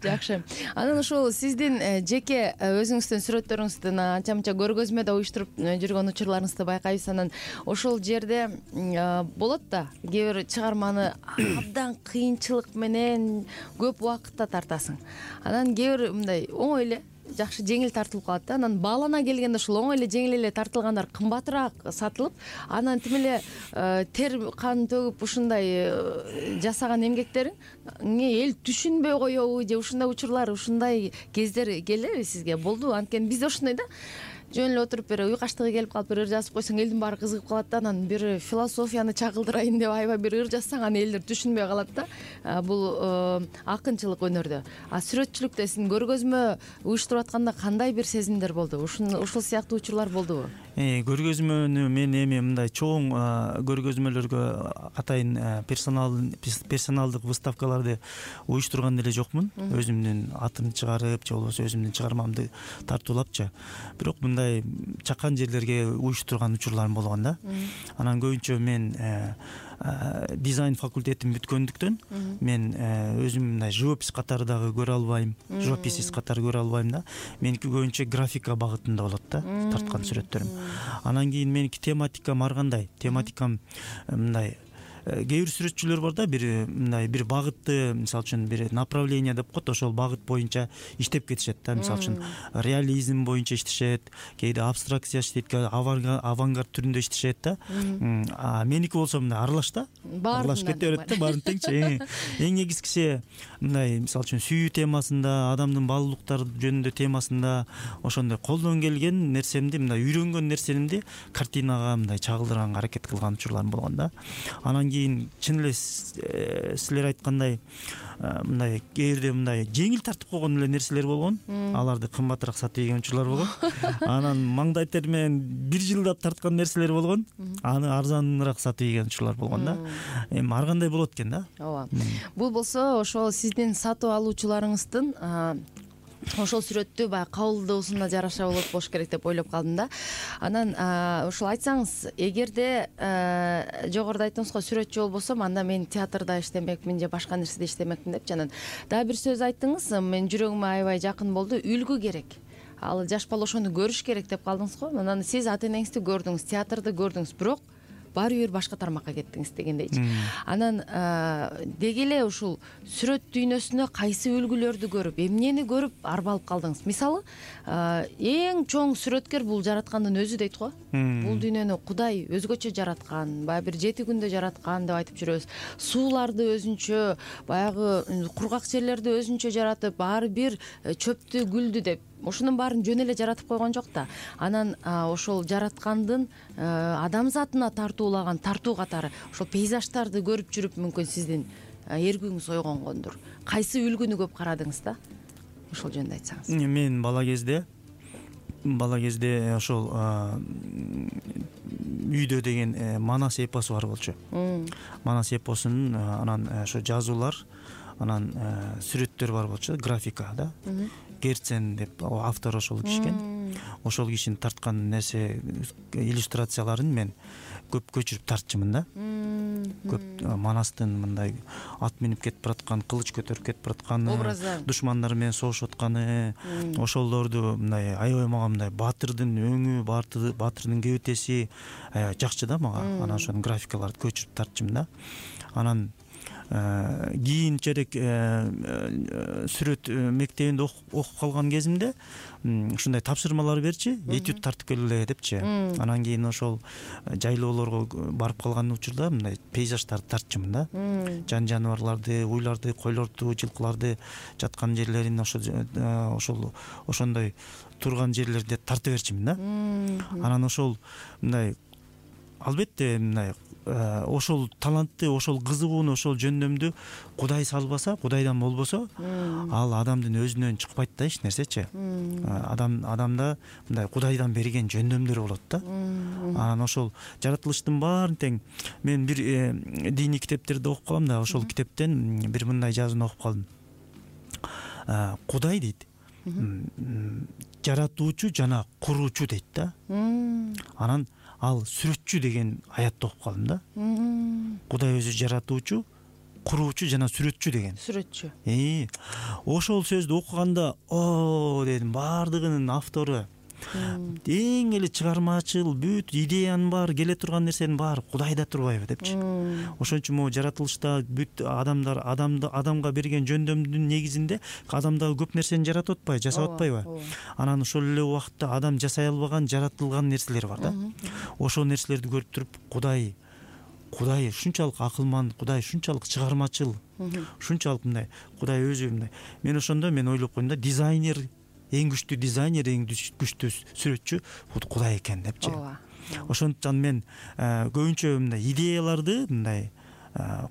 Жакшы. Анан ошол сиздин жеке өзүңүздүн сүрөттөрүңүздүн анча-мынча көргөзмөдө уюштуруп жүргөн учурларыңызды байкайбыз. Анан ошол жерде болот да, кээ бир чыгарманы абдан кыйынчылык менен көп убакытта тартасың. Анан кээ бир мындай оңой эле жакшы жеңил тартылып калат да. Анан баалана келгенде ошол оңой эле жеңил эле тартылгандар кымбатыраак сатылып, анан тим эле тер кан төгүп ушундай жасаган эмгектериңи эл түшүнбөй коебу же ушундай учурлар, ушундай кездер келеби сизге? Болдубу? Анткени бизде ошондой да. Жөн эле отуруп бир уйкаштыгы келип калып бир ыр жазып койсоң элдин баары кызыгып калат да. Анан бир философияны чагылдырайын деп аябай бир ыр жазсаң, аны элдер түшүнбөй калат да. Бул акынчылык өнөрдө. А сүрөтчүлүктө сиздин көргөзмө уюштуруп атканда кандай бир сезимдер болду? Ушул сыяктуу учурлар болдубу?
Көргөзмөнү мен эми мындай чоң көргөзмөлөргө атайын персоналдык выставкаларды уюштурган деле жокмун. Өзүмдүн атымды чыгарып же болбосо өзүмдүн чыгармамды тартуулапчы. Бирок мындай чакан жерлерге уюштурган учурларым болгон да. Анан көбүнчө мен дизайн факультетин бүткөндүктөн мен өзүм мындай живопись катары дагы көрө албайм, живописец катары көрө албайм да. Меники көбүнчө графика багытында болот да, тарткан сүрөттөрүм. Анан кийин меники тематикам ар кандай. Тематикам мындай кээ бир сүрөтчүлөр бар да, бир мындай бир багытты, мисалы үчүн бир направление деп коет, ошол багыт боюнча иштеп кетишет да. Мисалы үчүн реализм боюнча иштешет, кээде абстракция иштейт, авангард түрүндө иштешет да. А меники болсо мындай аралаш да, аралаш кете берет да, баарын теңчи. Эң негизгиси мындай мисалы үчүн сүйүү темасында, адамдын баалуулуктары жөнүндө темасында ошондой колдон келген нерсемди, мындай үйрөнгөн нерсемди картинага мындай чагылдырганга аракет кылган учурларым болгон да. Анан кийин чын эле силер айткандай мындай кээ бирде мындай жеңил тартып койгон эле нерселер болгон. Аларды кымбатыраак сатып ийген учурлар болгон. Анан маңдай тер менен бир жылдап тарткан нерселер болгон. Аны арзаныраак сатып ийген учурлар болгон да. Эми ар кандай болот экен да.
Ооба. Бул болсо ошол сиздин сатып алуучуларыңыздын ошол сүрөттү баягы кабылдоосуна жараша болот болуш керек деп ойлоп калдым да. Анан ошол айтсаңыз, эгерде жогоруда айттыңыз го сүрөтчү болбосом, анда мен театрда иштемекмин же башка нерседе иштемекмин депчи. Анан дагы бир сөз айттыңыз, мен жүрөгүмө аябай жакын болду. Үлгү керек. Ал жаш бала ошону көрүш керек деп калдыңыз го. Анан сиз ата энеңизди көрдүңүз, театрды көрдүңүз, бирок баары бир башка тармакка кеттиңиз дегендейчи. Анан деги эле ушул сүрөт дүйнөсүнө кайсы үлгүлөрдү көрүп, эмнени көрүп арбалып калдыңыз? Мисалы, эң чоң сүрөткер бул жараткандын өзү дейт го. Бул дүйнөнү Кудай өзгөчө жараткан, баягы бир жети күндө жараткан деп айтып жүрөбүз. Сууларды өзүнчө, баягы кургак жерлерди өзүнчө жаратып, баары бир чөптү, гүлдү деп ошонун баарын жөн эле жаратып койгон жок да. Анан ошол жараткандын адамзатына тартуулаган тартуу катары ошол пейзаждарды көрүп жүрүп мүмкүн сиздин эргүүңүз ойгонгондур. Кайсы үлгүнү көп карадыңыз да? Ошол жөнүндө айтсаңыз.
Мен бала кезде бала кезде ошол үйдө деген Манас эпосу бар болчу. Манас эпосунун анан ошо жазуулар, анан сүрөттөр бар болчу, графика да. Герцен деп автор ошол кишкен. Ошол кишинин тарткан нерсе иллюстрацияларын мен көп көчүрүп тартчумун да. Көп Манастын мындай ат минип кетип бараткан, кылыч көтөрүп кетип баратканы, душмандары менен согушуп атканы, ошолорду мындай аябай мага мындай баатырдын өңү, баатырдын кебетеси жакчы да мага. Анан ошонун графикаларын көчүрүп тартчумун да. Анан кийинчерээк сүрөт мектебинде окуп калган кезимде ушундай тапшырмалар берчи, этюд тартып келгиле депчи. Анан кийин ошол жайлоолорго барып калган учурда мындай пейзаждарды тартчумун да. Жан жаныбарларды, уйларды, койлорду, жылкыларды жаткан жерлерин ошол ошол ошондой турган жерлерди тартып берчимин да. Анан ошол мындай албетте мындай ошол талантты, ошол кызыгууну, ошол жөндөмдү Кудай салбаса, Кудайдан болбосо, ал адамдын өзүнөн чыкпайт да эч нерсечи. Адам адамда мындай Кудайдан берген жөндөмдөр болот да. Анан ошол жаратылыштын баарын тең мен бир диний китептерди окуп калам да, ошол китептен бир мындай жазууну окуп калдым. Кудай дейт, жаратуучу жана куруучу дейт да. Анан ал сүрөтчү деген аятты окуп калдым да. Кудай өзү жаратуучу, куруучу жана сүрөтчү деген.
Сүрөтчү.
Э, ошол сөздү окуганда, о дедим, баардыгынын автору, эң эле чыгармачыл, бүт идеянын баары, келе турган нерсенин баары Кудайда турбайбы депчи. Ошон үчүн могу жаратылышта бүт адамдар адамды адамга берген жөндөмдүн негизинде адамдагы көп нерсени жаратып атпайбы, жасап атпайбы? Анан ошол эле убакытта адам жасай албаган жаратылган нерселер бар да. Ошол нерселерди көрүп туруп Кудай Кудай ушунчалык акылман, Кудай ушунчалык чыгармачыл, ушунчалык мындай Кудай өзү мындай. Мен ошондо мен ойлоп койдум да, дизайнер, эң күчтүү дизайнер, эң күчтүү сүрөтчү бул Кудай экен депчи. Ошондуктан мен көбүнчө мындай идеяларды мындай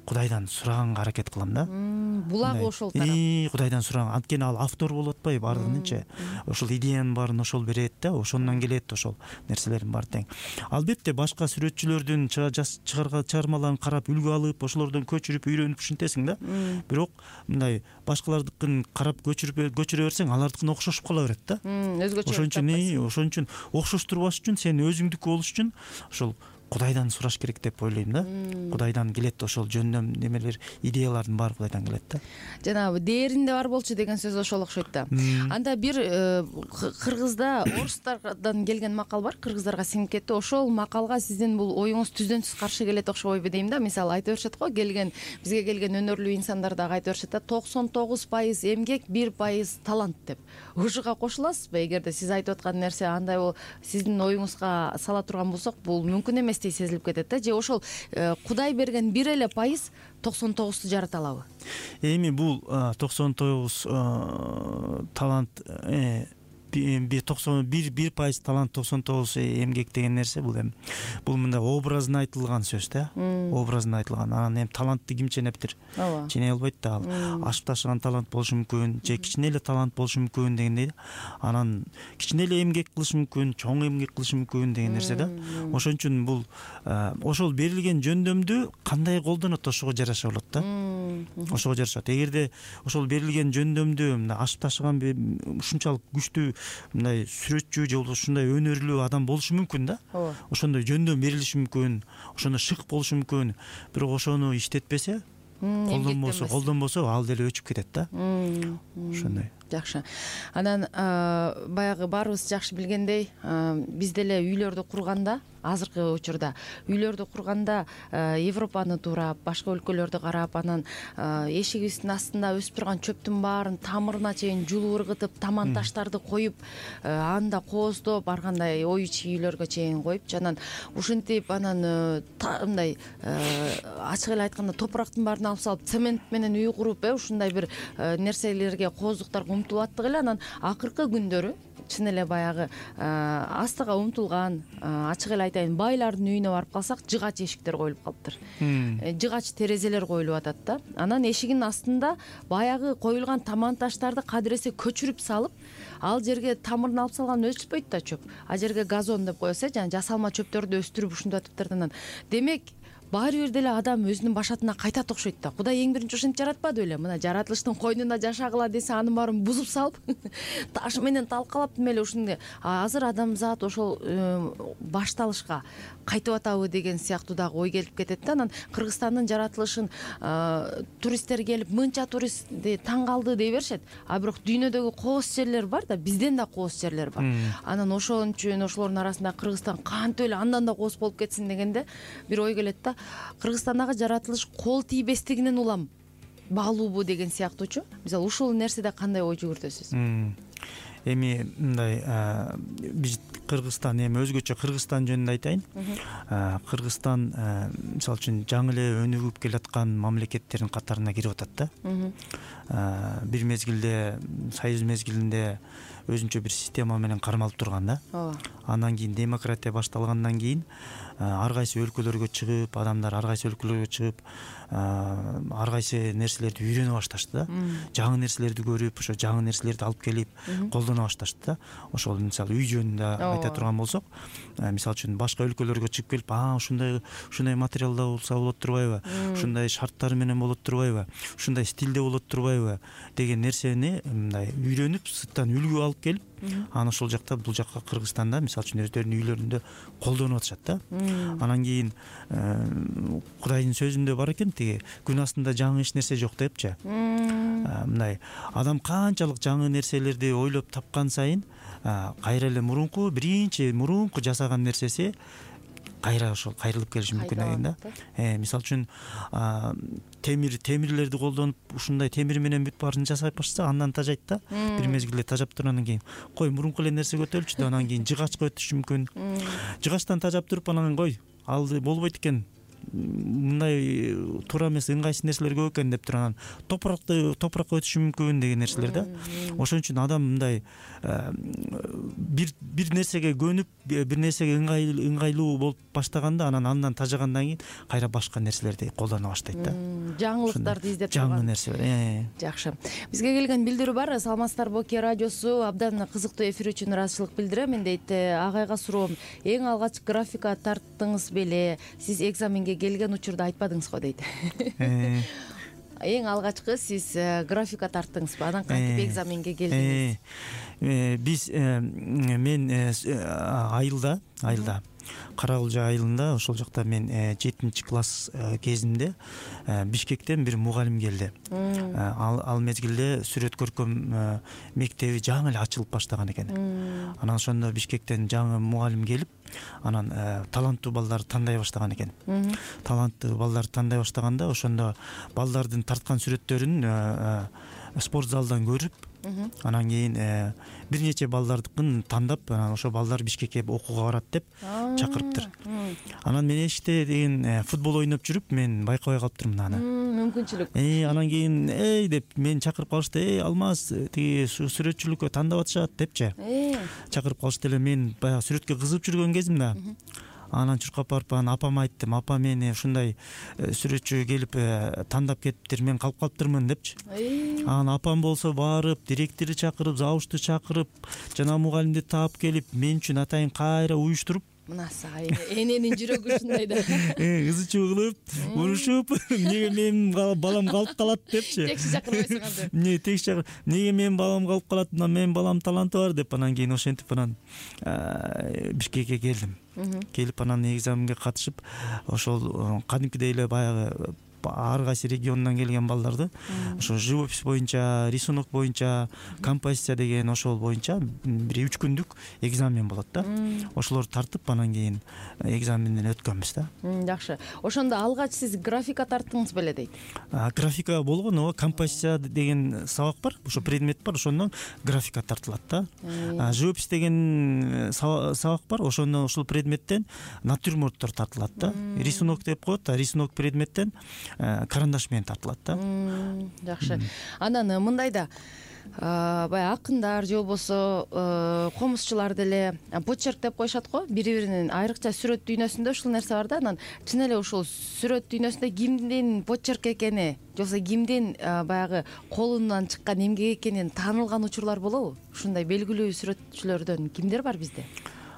Кудайдан сураганга аракет кылам да.
Булагы ошол тарап.
Кудайдан сураган. Анткени ал автор болуп атпайбы баардыгынчы. Ошол идеянын баарын ошол берет да, ошондон келет ошол нерселердин баары тең. Албетте башка сүрөтчүлөрдүн чыгарган чыгармаларын карап үлгү алып, ошолордон көчүрүп, үйрөнүп ушинтесиң да. Бирок мындай башкалардыкын карап көчүрүп көчүрө берсең, алардыкына окшошуп кала берет да.
Өзгөчө.
Ошон үчүн, ошон үчүн окшоштурбаш үчүн сен өзүңдүкү болуш үчүн ошол Кудайдан сураш керек деп ойлойм да. Кудайдан келет ошол жөндөм немелер, идеялардын баары Кудайдан келет да.
Жанагы дээринде бар болчу деген сөз ошол окшойт да. Анда бир кыргызда орустардан келген макал бар, кыргыздарга сиңип кетти. Ошол макалга сиздин бул оюңуз түздөн-түз каршы келет окшобойбу дейм да. Мисалы айтып беришет го, келген бизге келген өнөрлүү инсандар дагы айтып беришет да, токсон тогуз пайыз эмгек, бир пайыз талант деп. Ушуга кошуласызбы? Эгерде сиз айтып аткан нерсе андай бол, сиздин оюңузга сала турган болсок, бул мүмкүн эмес сезилип кетет да. Же ошол Кудай берген бир эле пайыз токсон тогузду жарата алабы?
Эми бул токсон тогуз талант бир бир пайыз талант, токсон тогуз эмгек деген нерсе бул эми бул мындай образын айтылган сөз да. Образын айтылган. Анан эми талантты ким ченептир? Ченей албайт да. Ал ашып ташыган талант болушу мүмкүн, же кичине эле талант болушу мүмкүн дегендей. Анан кичине эле эмгек кылышы мүмкүн, чоң эмгек кылышы мүмкүн деген нерсе да. Ошон үчүн бул ошол берилген жөндөмдү кандай колдонот, ошого жараша болот да. Ошого жарашат. Эгерде ошол берилген жөндөмдү мындай ашып ташыган ушунчалык күчтүү мындай сүрөтчү же болбосо ушундай өнөрлүү адам болушу мүмкүн да. Ошондой жөндөм берилиши мүмкүн, ошондо шык болушу мүмкүн. Бирок ошону иштетпесе, колдонбосо, колдонбосо ал деле өчүп кетет да. Ошондой.
Жакшы. Анан баягы баарыбыз жакшы билгендей, биз деле үйлөрдү курганда, азыркы учурда үйлөрдү курганда Европаны туурап, башка өлкөлөрдү карап, анан эшигибиздин астында өсүп турган чөптүн баарын тамырына чейин жулуп ыргытып, таман таштарды коюп, анда кооздоп, ар кандай ой ичи үйлөргө чейин коюп, анан ушинтип, анан мындай ачык эле айтканда топурактын баарын алып салып, цемент менен үй куруп, ушундай бир нерселерге, кооздуктарга умтулуп аттык эле. Анан акыркы күндөрү чын эле баягы астыга умтулган, ачык эле айтайын, байлардын үйүнө барып калсак, жыгач эшиктер коюлуп калыптыр. Жыгач терезелер коюлуп атат да. Анан эшигинин астында баягы коюлган таман таштарды кадыресе көчүрүп салып, ал жерге тамырын алып салган өспөйт да чөп. А жерге газон деп коесу, жана жасалма чөптөрдү өстүрүп ушинтип атыптыр. Анан демек баары бир деле адам өзүнүн башатына кайтат окшойт да. Кудай эң биринчи ушинтип жаратпады беле? Мына жаратылыштын койнунда жашагыла десе, анын баарын бузуп салып, таш менен талкалап эле ушундай. Азыр адамзат ошол башталышка кайтып атабы деген сыяктуу дагы ой келип кетет да. Анан Кыргызстандын жаратылышын туристтер келип, мынча туристти таң калды дей беришет. А бирок дүйнөдөгү кооз жерлер бар да, бизден да кооз жерлер бар. Анан ошон үчүн ошолордун арасында Кыргызстан кантип эле андан да кооз болуп кетсин дегенде бир ой келет да. Кыргызстандагы жаратылыш кол тийбестигинен улам баалуубу деген сыяктуучу. Мисалы ушул нерседе кандай ой жүгүртөсүз?
Эми мындай биз Кыргызстан эми өзгөчө Кыргызстан жөнүндө айтайын. Кыргызстан мисалы үчүн жаңы эле өнүгүп келаткан мамлекеттердин катарына кирип атат да. Бир мезгилде союз мезгилинде өзүнчө бир система менен кармалып турган да. Ооба. Андан кийин демократия башталгандан кийин ар кайсы өлкөлөргө чыгып, адамдар ар кайсы өлкөлөргө чыгып, ар кайсы нерселерди үйрөнө башташты да. Жаңы нерселерди көрүп, ошо жаңы нерселерди алып келип колдоно башташты да. Ошол мисалы үй жөнүндө айта турган болсок, мисалы үчүн башка өлкөлөргө чыгып келип, а ушундай ушундай материалда болсо болот турбайбы? Ушундай шарттары менен болот турбайбы? Ушундай стилде болот турбайбы? Деген нерсени мындай үйрөнүп, сырттан үлгү алып келип, анан ошол жакта бул жакка Кыргызстанда мисалы үчүн өздөрүнүн үйлөрүндө колдонуп атышат да. Анан кийин Кудайдын сөзүндө бар экен, тиги күн астында жаңы эч нерсе жок депчи. Мындай адам канчалык жаңы нерселерди ойлоп тапкан сайын кайра эле мурунку биринчи мурунку жасаган нерсеси кайра ошол кайрылып келиши мүмкүн экен да. Мисалы үчүн темир темирлерди колдонуп ушундай темир менен бүт баарын жасап башса андан тажайт да. Бир мезгилде тажап тургандан кийин кой мурунку эле нерсе көтөрүлчү деп анан кийин жыгачка өтүшү мүмкүн. Жыгачтан тажап туруп анан кой ал болбойт экен, мындай туура эмес ыңгайсыз нерселер көп экен деп туруп анан топуракты топуракка өтүшү мүмкүн деген нерселер да. Ошон үчүн адам мындай бир бир нерсеге көнүп, бир нерсеге ыңгайлуу болуп баштаганда анан андан тажагандан кийин кайра башка нерселерди колдоно баштайт да.
Жаңылыктарды издеп турган.
Жаңы нерселер.
Жакшы. Бизге келген билдирүү бар. Саламатсыздар, Боке радиосу абдан кызыктуу эфир үчүн ыраазычылык билдирем. Мен дейт, агайга суроом, эң алгач графика тарттыңыз беле? Сиз экзаменге келген учурда айтпадыңыз го дейт. Эң алгачкы сиз графика тарттыңызбы? Анан кантип экзаменге келдиңиз?
Биз мен айылда айылда Кара Кулжа айылында ошол жакта мен жетинчи класс кезинде Бишкектен бир мугалим келди. Ал мезгилде сүрөт көркөм мектеби жаңы эле ачылып баштаган экен. Анан ошондо Бишкектен жаңы мугалим келип, анан таланттуу балдарды тандай баштаган экен. Таланттуу балдарды тандай баштаганда ошондо балдардын тарткан сүрөттөрүн спорт залдан көрүп, анан кийин бир нече балдардыкын тандап, анан ошо балдар Бишкекке окууга барат деп чакырыптыр. Анан мен эшикте деген футбол ойноп жүрүп, мен байкабай калыптырмын аны.
Мүмкүнчүлүк.
Э, анан кийин эй деп мен чакырып калышты. Эй, Алмаз, тиги сүрөтчүлүккө тандап атышат депчи. Чакырып калышты эле. Мен баягы сүрөткө кызыгып жүргөн кезим да. Анан чуркап барып анан апама айттым. Апа, мени ушундай сүрөтчү келип тандап кетиптир, мен калып калыптырмын депчи. Анан апам болсо барып, директорду чакырып, завучту чакырып, жана мугалимди таап келип, мен үчүн атайын кайра уюштуруп,
мынасы эненин жүрөгү ушундай да.
Ызы чуу кылып, урушуп, неге менин балам калып калат депчи.
Текши чакырбайсың анда.
Не текши чакыр. Неге менин балам калып калат? Мына менин балам таланты бар деп анан кийин ошентип анан Бишкекке келдим. Келип анан экзаменге катышып, ошол кадимкидей эле баягы ар кайсы региондон келген балдарды ошо живопись боюнча, рисунок боюнча, композиция деген ошол боюнча бир үч күндүк экзамен болот да. Ошолорду тартып анан кийин экзаменден өткөнбүз да.
Жакшы. Ошондо алгач сиз графика тарттыңыз беле дейт?
Графика болгон, ооба, композиция деген сабак бар, ошо предмет бар, ошондон графика тартылат да. Живопись деген сабак бар, ошондон ушул предметтен натюрморттор тартылат да. Рисунок деп коет, рисунок предметтен карандаш менен тартылат да.
Жакшы. Анан мындай да баягы акындар же болбосо комузчулар деле почерк деп коюшат го, бири-биринин айрыкча сүрөт дүйнөсүндө ушул нерсе бар да. Анан чын эле ушул сүрөт дүйнөсүндө кимдин почерк экени, же болбосо кимдин баягы колунан чыккан эмгек экенин таанылган учурлар болобу? Ушундай белгилүү сүрөтчүлөрдөн кимдер бар бизде?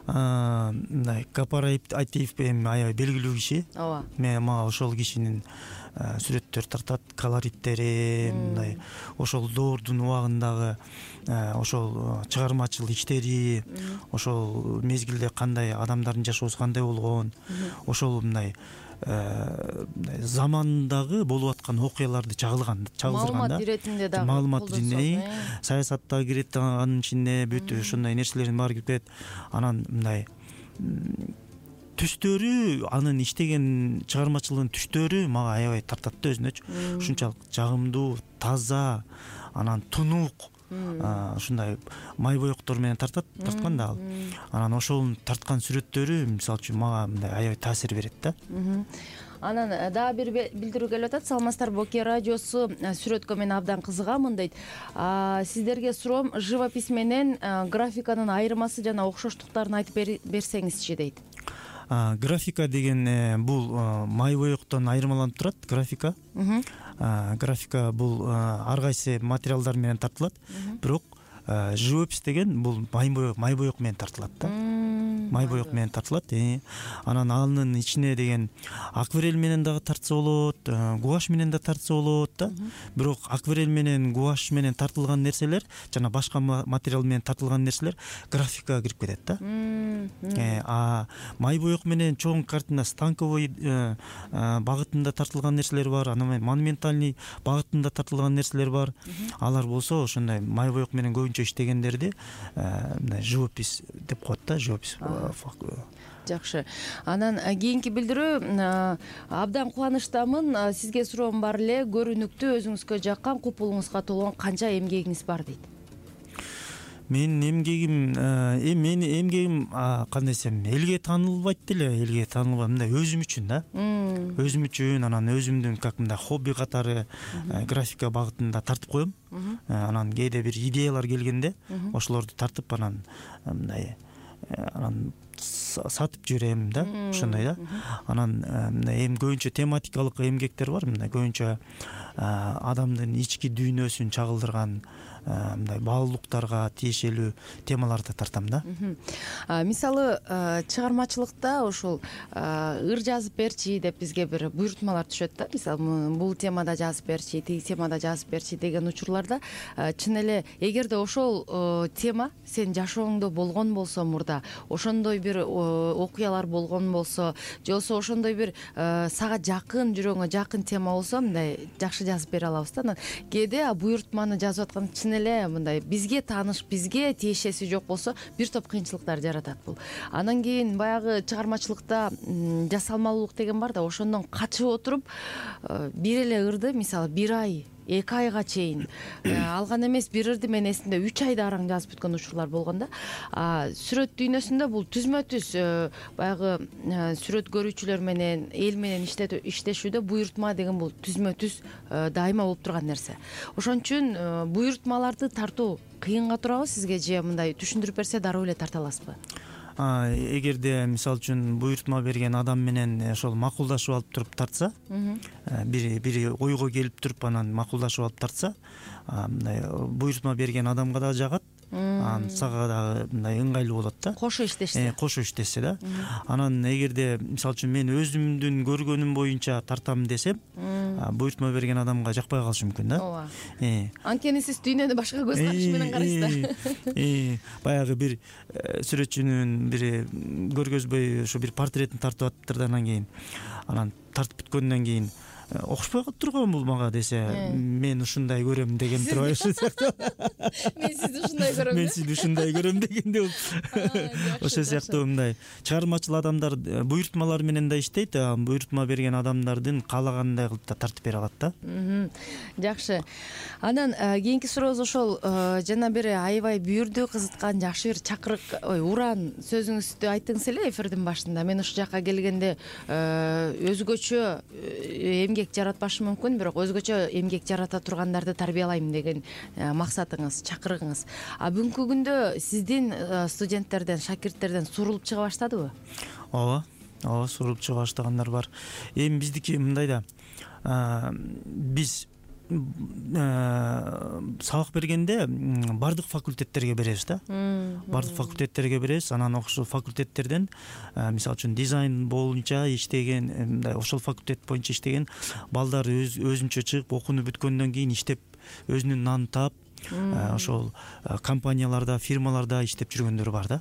Мындай Гапар Айтиев эми аябай белгилүү киши.
Ооба.
Мен мага ошол кишинин сүрөттөр тартат, колориттери, мындай ошол доордун убагындагы ошол чыгармачыл иштери, ошол мезгилде кандай адамдардын жашоосу кандай болгон, ошол мындай замандагы болуп аткан окуяларды чагылган, чагылдырган да. Маалымат иретинде дагы. Маалымат иретинде, саясатта кирет анын ичинде бүт ушундай нерселердин баары кирип кетет. Анан мындай түстөрү, анын иштеген чыгармачылыгынын түстөрү мага аябай тартат да өзүнөчү. Ушунчалык жагымдуу, таза, анан тунук, ушундай май боектор менен тартат, тарткан да ал. Анан ошол тарткан сүрөттөрү мисалы үчүн мага мындай аябай таасир берет да.
Анан дагы бир билдирүү келип атат. Саламатсыздар, Боке радиосу сүрөткө мен абдан кызыгамын дейт. Сиздерге суроом, живопись менен графиканын айырмасы жана окшоштуктарын айтып берсеңизчи дейт.
Графика деген бул май боектон айырмаланып турат. Графика графика бул ар кайсы материалдар менен тартылат, бирок живопись деген бул май боек май боек менен тартылат да. Май боек менен тартылат. Анан анын ичине деген акварель менен дагы тартса болот, гуашь менен да тартса болот да. Бирок акварель менен, гуашь менен тартылган нерселер жана башка материал менен тартылган нерселер графикага кирип кетет да. А май боек менен чоң картина, станковый багытында тартылган нерселер бар, анан монументальный багытында тартылган нерселер бар. Алар болсо ошондой май боек менен көбүнчө иштегендерди мындай живопись деп коет да, живопись.
Жакшы. Анан кийинки билдирүү, абдан кубанычтамын. Сизге суроом бар эле, көрүнүктүү, өзүңүзгө жаккан, купулуңузга толгон канча эмгегиңиз бар дейт.
Менин эмгегим, эми менин эмгегим кандай десем, элге таанылбайт деле, элге таанылбайт, мындай өзүм үчүн да. Өзүм үчүн, анан өзүмдүн как мындай хобби катары графика багытында тартып коем. Анан кээде бир идеялар келгенде ошолорду тартып анан мындай анан сатып жиберем да, ошондой да. Анан мындай эми көбүнчө тематикалык эмгектер бар, мындай көбүнчө адамдын ички дүйнөсүн чагылдырган мындай баалуулуктарга тиешелүү темаларды тартам да.
Мисалы, чыгармачылыкта ошол ыр жазып берчи деп бизге бир буйрутмалар түшөт да. Мисалы, бул темада жазып берчи, тиги темада жазып берчи деген учурларда чын эле эгерде ошол тема сен жашооңдо болгон болсо, мурда ошондой бир окуялар болгон болсо, же болбосо ошондой бир сага жакын, жүрөгүңө жакын тема болсо, мындай жакшы жазып бере алабыз да. Анан кээде буйрутманы жазып аткан чын эле мындай бизге тааныш, бизге тиешеси жок болсо, бир топ кыйынчылыктар жаратат бул. Анан кийин баягы чыгармачылыкта жасалмалуулук деген бар да, ошондон качып отуруп бир эле ырды, мисалы, бир ай, эки айга чейин алган эмес, бир ырды мен эсимде үч айда араң жазып бүткөн учурлар болгон да. Сүрөт дүйнөсүндө бул түзмө түз баягы сүрөт көрүүчүлөр менен, эл менен иштешүүдө буйрутма деген бул түзмө түз дайыма болуп турган нерсе. Ошон үчүн буйрутмаларды тартуу кыйынга турабы сизге, же мындай түшүндүрүп берсе дароо эле тарта аласызбы?
Эгерде мисалы үчүн буйрутма берген адам менен ошол макулдашып алып туруп тартса, бири бири ойго келип туруп анан макулдашып алып тартса, мындай буйрутма берген адамга да жагат, анан сага дагы мындай ыңгайлуу болот да.
Кошо иштешсе.
Кошо иштешсе да. Анан эгерде мисалы үчүн мен өзүмдүн көргөнүм боюнча тартам десем, буйрутма берген адамга жакпай калышы мүмкүн да.
Ооба. Анткени сиз дүйнөнү башка көз карашы менен карайсыз да.
Баягы бир сүрөтчүнүн бири көргөзбөй ошо бир портретін тартып атыптыр да, анан кийин анан тартып бүткөндөн кийин окшпой калып турган бул мага десе, мен ушундай көрөм деген турбайбы?
Мен сизди ушундай көрөм.
Мен сизди ушундай көрөм дегенде бул. Ошол сыяктуу мындай чыгармачыл адамдар буйрутмалар менен да иштейт, буйрутма берген адамдардын каалагандай кылып да тартып бере алат да.
Жакшы. Анан кийинки сурообуз ошол жана бир аябай бүйүрдү кызыткан жакшы бир чакырык, ой, уран сөзүңүздү айттыңыз эле эфирдин башында. Мен ушул жакка келгенде өзгөчө эмгек жаратпашы мүмкүн, бирок өзгөчө эмгек жарата тургандарды тарбиялайм деген максатыңыз, чакырыгыңыз. А бүгүнкү күндө сиздин студенттерден, шакирттерден сурулуп чыга баштадыбы?
Ооба, ооба, сурулуп чыга баштагандар бар. Эми биздики мындай да, биз сабак бергенде бардык факультеттерге беребиз да. Бардык факультеттерге беребиз. Анан ошол факультеттерден мисалы үчүн дизайн боюнча иштеген, мындай ошол факультет боюнча иштеген балдар өзүнчө чыгып окууну бүткөндөн кийин иштеп өзүнүн нанын таап, ошол компанияларда, фирмаларда иштеп жүргөндөр бар да.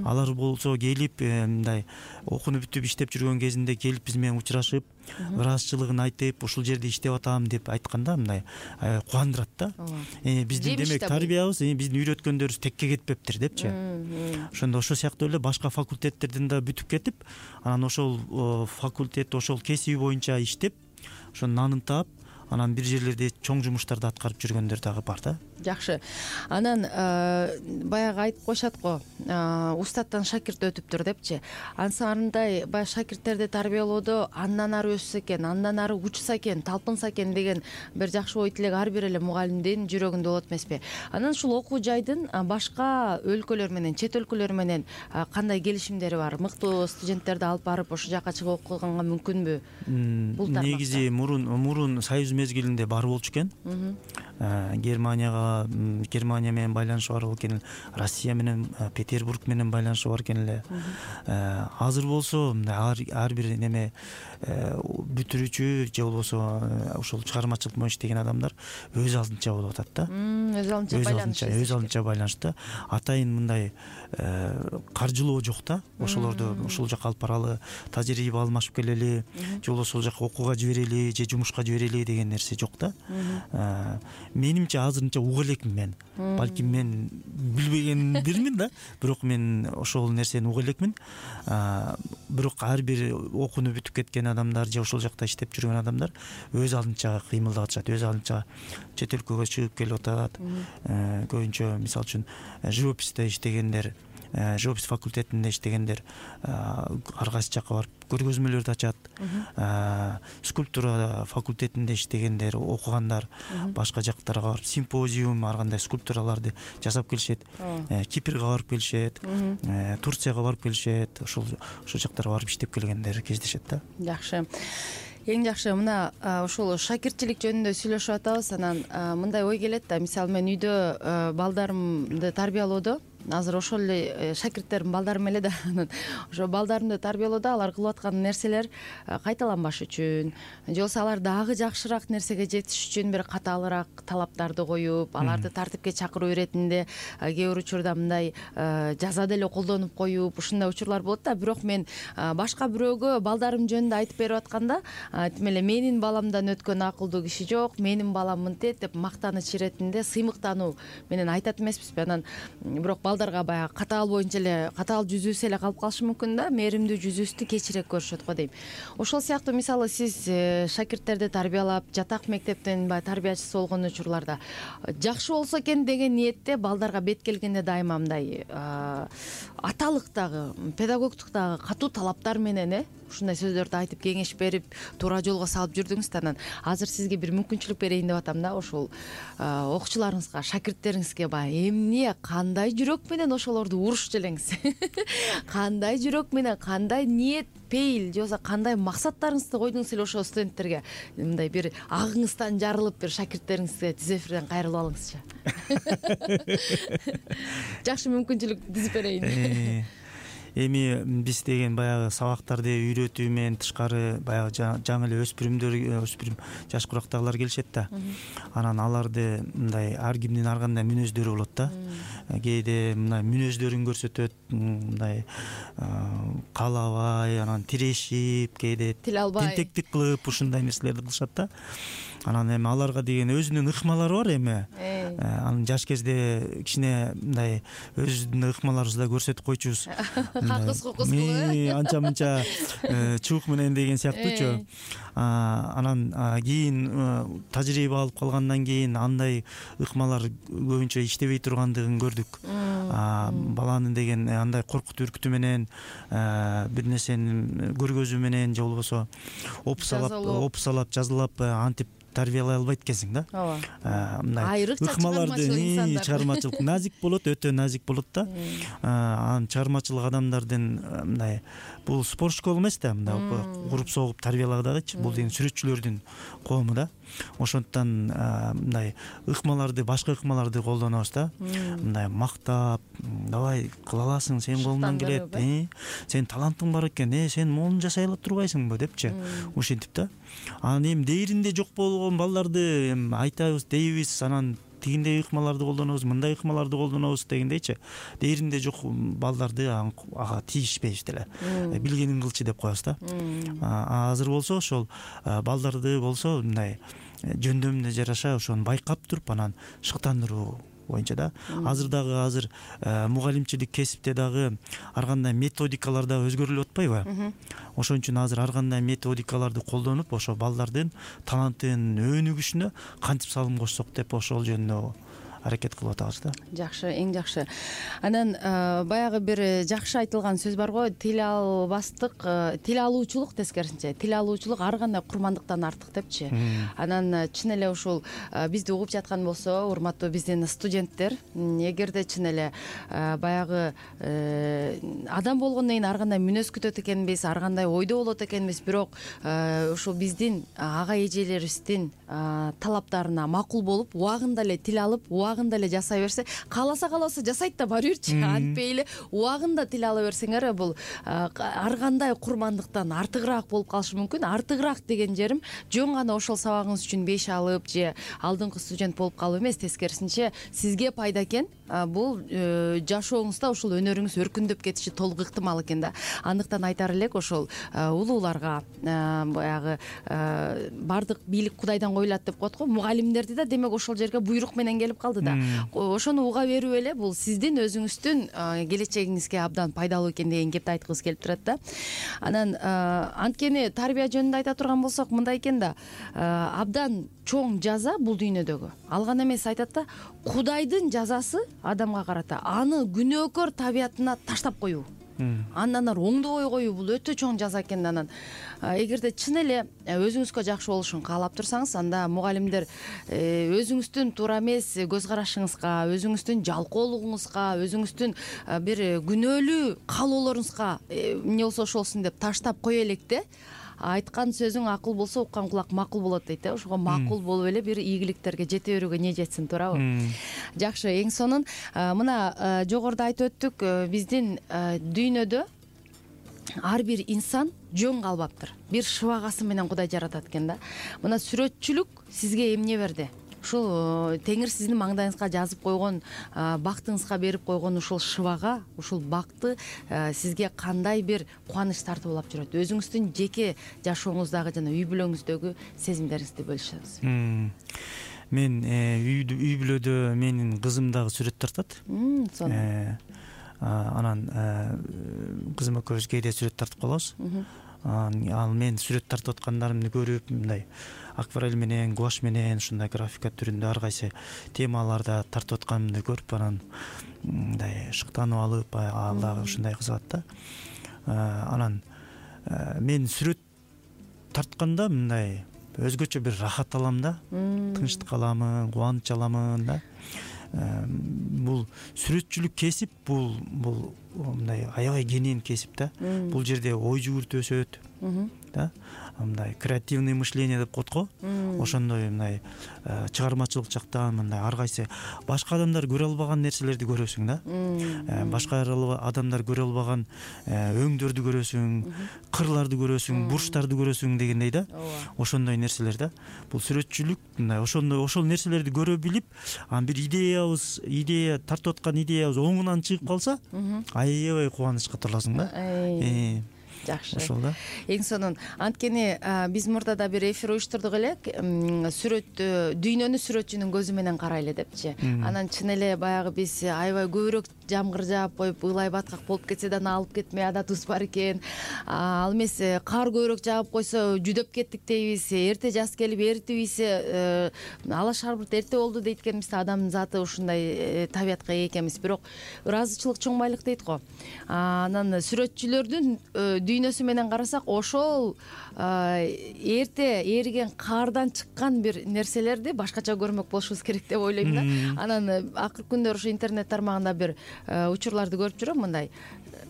Алар болсо келип мындай окууну бүтүп иштеп жүргөн кезинде келип биз менен учурашып, ыраазычылыгын айтып, ушул жерде иштеп атам деп айтканда мындай кубандырат да. Биздин демек тарбиябыз, биздин үйрөткөндөрүбүз текке кетпептир депчи. Ошондо ошол сыяктуу эле башка факультеттерден да бүтүп кетип, анан ошол факультет, ошол кесиби боюнча иштеп, ошонун нанын таап, анан бир жерлерде чоң жумуштарды аткарып жүргөндөр дагы бар да.
Жакшы. Анан баягы айтып коюшат го, устаттан шакирт өтүптүр депчи. Ансандай баягы шакирттерди тарбиялоодо андан ары өссө экен, андан ары учса экен, талпынса экен деген бир жакшы ой тилек ар бир эле мугалимдин жүрөгүндө болот эмеспи? Анан ушул окуу жайдын башка өлкөлөр менен, чет өлкөлөр менен кандай келишимдери бар? Мыктуу студенттерди алып барып ошол жака чыгып окуганга мүмкүнбү? Бул тармакта
негизи мурун мурун союз мезгилинде бар болчу экен. Германияга Германия менен байланышы бар экен, Россия менен, Петербург менен байланышы бар экен эле. Азыр болсо ар бир неме бүтүрүүчү же болбосо ошол чыгармачылык менен иштеген адамдар өз алдынча болуп атат да.
Өз алдынча байланыш.
Өз алдынча байланышта атайын мындай каржылоо жок да. Ошолорду ошол жака алып баралы, тажрыйба алмашып келели, же болбосо ошол жака окууга жиберели, же жумушка жиберели деген нерсе жок да. Менимче азырынча уга элекмин мен. Балким мен билбегендирмин да, бирок мен ошол нерсени уга элекмин. Бирок ар бир окууну бүтүп кеткен адамдар же ошол жакта иштеп жүргөн адамдар өз алдынча кыймылдап атышат, өз алдынча чет өлкөгө чыгып келип атат. Көбүнчө мисалы үчүн живописте иштегендер, живопись факультетинде иштегендер ар кайсы жака барып көргөзмөлөрдү ачат. Скульптура факультетинде иштегендер, окугандар башка жактарга барып симпозиум, ар кандай скульптураларды жасап келишет. Кипрге барып келишет, Турцияга барып келишет. Ошол ошол жактарга барып иштеп келгендер кездешет да.
Жакшы. Эң жакшы, мына ошол шакиртчилик жөнүндө сүйлөшүп атабыз. Анан мындай ой келет да, мисалы мен үйдө балдарымды тарбиялоодо, азыр ошол эле шакирттерим балдарым эле да, анан ошо балдарымды тарбиялоодо алар кылып аткан нерселер кайталанбаш үчүн, же болбосо алар дагы жакшыраак нерсеге жетиш үчүн бир катаалыраак талаптарды коюп, аларды тартипке чакыруу иретинде кээ бир учурда мындай жаза деле колдонуп коюп, ушундай учурлар болот да. Бирок мен башка бирөөгө балдарым жөнүндө айтып берип атканда, тим эле менин баламдан өткөн акылдуу киши жок, менин балам мынтет деп мактаныч иретинде сыймыктануу менен айтат эмеспизби? Анан бирок балдарга баягы катаал боюнча эле, катаал жүзүүсү эле калып калышы мүмкүн да, мээримдүү жүзүүсү кечирээк көрүшөт го дейм. Ошол сыяктуу мисалы сиз шакирттерди тарбиялап, жатак мектептин баягы тарбиячысы болгон учурларда жакшы болсо экен деген ниетте балдарга бет келгенде дайыма мындай аталыктагы, педагогтуктагы катуу талаптар менен э ушундай сөздөрдү айтып кеңеш берип, туура жолго салып жүрдүңүз да. Анан азыр сизге бир мүмкүнчүлүк берейин деп атам да, ошол окуучуларыңызга, шакирттериңизге баягы эмне, кандай жүрөк менен ошолорду урушчу элеңиз? Кандай жүрөк менен, кандай ниет, пейил, же болбосо кандай максаттарыңызды койдуңуз эле ошол студенттерге? Мындай бир агыңыздан жарылып, бир шакирттериңизге тиз эфирден кайрылып алыңызчы. Жакшы мүмкүнчүлүк түзүп берейин.
Эми биз деген баягы сабактарды үйрөтүү менен тышкары баягы жаңы эле өспүрүмдөр, өспүрүм жаш курактагылар келишет да. Анан аларды мындай ар кимдин ар кандай мүнөздөрү болот да. Кээде мындай мүнөздөрүн көрсөтөт, мындай каалабай, анан тирешип, кээде тентектик кылып ушундай нерселерди кылышат да. Анан эми аларга деген өзүнүн ыкмалары бар эми. Анан жаш кезде кичине мындай өзүбүздүн ыкмаларыбызды да көрсөтүп койчубуз.
Хакыс хукус кылып,
анча мынча чубук менен деген сыяктуучу. Анан кийин тажрыйба алып калгандан кийин андай ыкмалар көбүнчө иштебей тургандыгын көрдүк. Баланын деген андай коркутуу үркүтүү менен, бир нерсени көргөзүү менен же болбосо опусалап, опусалап, жазылап антип тарбиялай албайт экенсиң да.
Ооба.
Мындай ыкмаларды чыгармачылык назик болот, өтө назик болот да. Анан чыгармачылык адамдардын мындай бул спорт школа эмес да, мындай уруп согуп тарбиялагыдагычы, бул деген сүрөтчүлөрдүн коому да. Ошондуктан мындай ыкмаларды, башка ыкмаларды колдонобуз да. Мындай мактап, давай кыла аласың, сенин колуңдан келет, сенин талантың бар экен, сен моуну жасай ала турбайсыңбы депчи, ушинтип да. Анан эми дээринде жок болгон балдарды айтабыз, дейбиз, анан тигиндей ыкмаларды колдонобуз, мындай ыкмаларды колдонобуз дегендейчи. Дээринде жок балдарды ага тийишпейбиз деле. Билгениң кылчы деп коебуз да. Азыр болсо ошол балдарды болсо мындай жөндөмүнө жараша ошону байкап туруп анан шыктандыруу боюнча да. Азыр дагы азыр мугалимчилик кесипте дагы ар кандай методикалар дагы өзгөрүлүп атпайбы? Ошон үчүн азыр ар кандай методикаларды колдонуп, ошо балдардын талантын өнүгүшүнө кантип салым кошсок деп ошол жөнүндө аракет кылып атабыз да.
Жакшы, эң жакшы. Анан баягы бир жакшы айтылган сөз бар го, тил албастык, тил алуучулук тескерисинче, тил алуучулук ар кандай курмандыктан артык депчи. Анан чын эле ушул бизди угуп жаткан болсо, урматтуу биздин студенттер, эгерде чын эле баягы адам болгондон кийин ар кандай мүнөз күтөт экенбиз, ар кандай ойдо болот экенбиз, бирок ушул биздин ага эжелерибиздин талаптарына макул болуп, убагында эле тил алып, убагында эле жасай берсе, кааласа кааласа жасайт да бара берчи. Антпей эле убагында тил ала берсеңер, бул ар кандай курмандыктан артыгыраак болуп калышы мүмкүн. Артыгыраак деген жерим жөн гана ошол сабагыңыз үчүн беш алып же алдыңкы студент болуп калуу эмес, тескерисинче сизге пайда экен. Бул жашооңузда ушул өнөрүңүз өркүндөп кетиши толук ыктымал экен да. Андыктан айтар элек, ошол улууларга баягы бардык бийлик Кудайдан коюлат деп коет го. Мугалимдерди да демек ошол жерге буйрук менен келип калды да. Ошону уга берүү эле бул сиздин өзүңүздүн келечегиңизге абдан пайдалуу экен деген кепти айткыбыз келип турат да. Анан анткени тарбия жөнүндө айта турган болсок, мындай экен да, абдан чоң жаза бул дүйнөдөгү. Ал гана эмес, айтат да, Кудайдын жазасы адамга карата аны күнөөкөр табиятына таштап коюу. Андан ары оңдобой коюу бул өтө чоң жаза экен. Анан эгерде чын эле өзүңүзгө жакшы болушун каалап турсаңыз, анда мугалимдер өзүңүздүн туура эмес көз карашыңызга, өзүңүздүн жалкоолугуңузга, өзүңүздүн бир күнөөлүү каалоолоруңузга эмне болсо ошолсун деп таштап кое электе, айткан сөзүң акыл болсо уккан кулак макул болот дейт. Ошого макул болуп эле бир ийгиликтерге жете берүүгө не жетсин, туурабы? Жакшы, эң сонун мына жогоруда айтып өттүк, биздин дүйнөдө ар бир инсан жөн калбаптыр. Бир шыбагасы менен Кудай жаратат экен да. Мына сүрөтчүлүк сизге эмне берди? Ушул Теңир сиздин маңдайыңызга жазып койгон, бактыңызга берип койгон ушул шыбага, ушул бакты сизге кандай бир кубаныч тартып алып жүрөт? Өзүңүздүн жеке жашооңуздагы жана үй бүлөңүздөгү сезимдериңизди бөлүшөңүз.
Мен үй бүлөдө менин кызым дагы сүрөт тартат. Анан кызым экөөбүз кээде сүрөт тартып калабыз. Ал мен сүрөт тартып аткандарымды көрүп, мындай акварель менен, гуашь менен, ушундай графика түрүндө ар кайсы темаларда тартып атканымды көрүп, анан мындай шыктанып алып, ал дагы ушундай кызыгат да. Анан мен сүрөт тартканда мындай өзгөчө бир рахат алам да, тынчтык аламын, кубаныч аламын да. Бул сүрөтчүлүк кесип, бул бул мындай аябай кенен кесип да. Бул жерде ой жүгүртүү өсөт да. Мындай креативный мышление деп коет го. Ошондой мындай чыгармачылык жактан мындай ар кайсы башка адамдар көрө албаган нерселерди көрөсүң да. Башка адамдар көрө албаган өңдөрдү көрөсүң, кырларды көрөсүң, бурчтарды көрөсүң дегендей да. Ошондой нерселер да. Бул сүрөтчүлүк мындай ошондой ошол нерселерди көрө билип, анан бир идеябыз, идея тартып аткан идеябыз оңунан чыгып калса, аябай кубанычка толосуң да.
Жакшы.
Ошол да.
Эң сонун. Анткени биз мурдада бир эфир уюштурдук элек, сүрөт дүйнөнү сүрөтчүнүн көзү менен карайлы депчи. Анан чын эле баягы биз аябай көбүрөөк жамгыр жаап коюп, ылай баткак болуп кетсе да алып кетмей адатыбыз бар экен. Ал эмес, кар көбүрөөк жаап койсо жүдөп кеттик дейбиз. Эрте жаз келип эритип ийсе, ала шарбырт эрте болду дейт экенбиз да. Адамдын заты ушундай табиятка ээ экенбиз. Бирок ыраазычылык чоң байлык дейт го. Анан сүрөтчүлөрдүн дүйнөсү менен карасак, ошол эрте эриген кардан чыккан бир нерселерди башкача көрмөк болушубуз керек деп ойлойм да. Анан акыркы күндөр ушу интернет тармагында бир учурларды көрүп жүрөм, мындай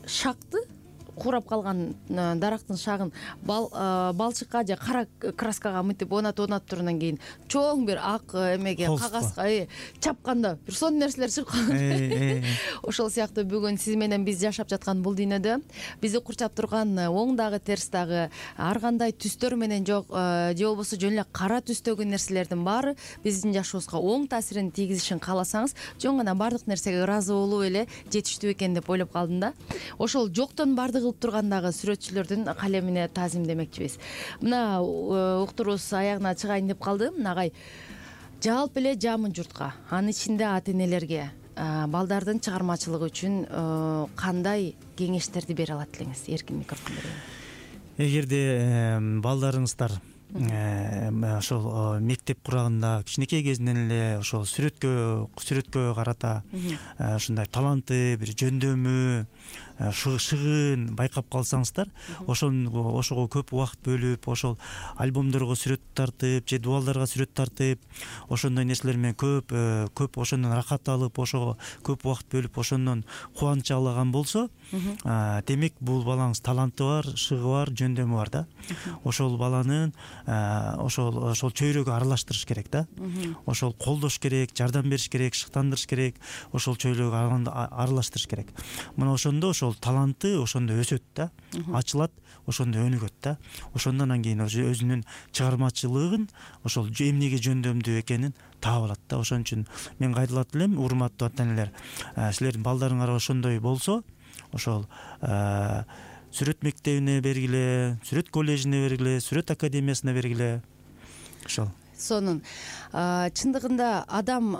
шакты куурап калган дарактын шагын балчыкка же кара краскага мынтип онатып онатып туруп анан кийин чоң бир ак эмеге кагазга чапканда бир сонун нерселер чыгып калат. Ошол сыяктуу бүгүн сиз менен биз жашап жаткан бул дүйнөдө бизди курчап турган оң дагы терс дагы ар кандай түстөр менен жок же болбосо жөн эле кара түстөгү нерселердин баары биздин жашообузга оң таасирин тийгизишин кааласаңыз жөн гана баардык нерсеге ыраазы болуу эле жетиштүү экен деп ойлоп калдым да. Ошол жоктон барды кылып тургандагы сүрөтчүлөрдүн калемине таазим демекчибиз. Мына уктурубуз аягына чыгайын деп калды. Агай, жалпы эле жамын журтка, анын ичинде ата энелерге балдардын чыгармачылыгы үчүн кандай кеңештерди бере алат элеңиз? Эркин микрофон берейин.
Эгерде балдарыңыздар ошол мектеп курагында кичинекей кезинен эле ошол сүрөткө сүрөткө карата ушундай таланты, бир жөндөмү, шыгын байкап калсаңыздар, ошого ошого көп убакыт бөлүп, ошол альбомдорго сүрөт тартып же дубалдарга сүрөт тартып, ошондой нерселер менен көп көп ошондон рахат алып, ошого көп убакыт бөлүп, ошондон кубаныч алаган болсо, демек бул балаңыз таланты бар, шыгы бар, жөндөмү бар да. Ошол баланын ошол ошол чөйрөгө аралаштырыш керек да. Ошол колдош керек, жардам бериш керек, шыктандырыш керек, ошол чөйрөгө аралаштырыш керек. Мына ошондо ошол таланты ошондо өсөт да, ачылат, ошондо өнүгөт да. Ошондон анан кийин өзүнүн чыгармачылыгын ошол эмнеге жөндөмдүү экенин таап алат да. Ошон үчүн мен кайдылат элем, урматтуу ата энелер, силердин балдарыңар ошондой болсо, ошол сүрөт мектебине бергиле, сүрөт коллежине бергиле, сүрөт академиясына бергиле. Ошол
сонун. Чындыгында адам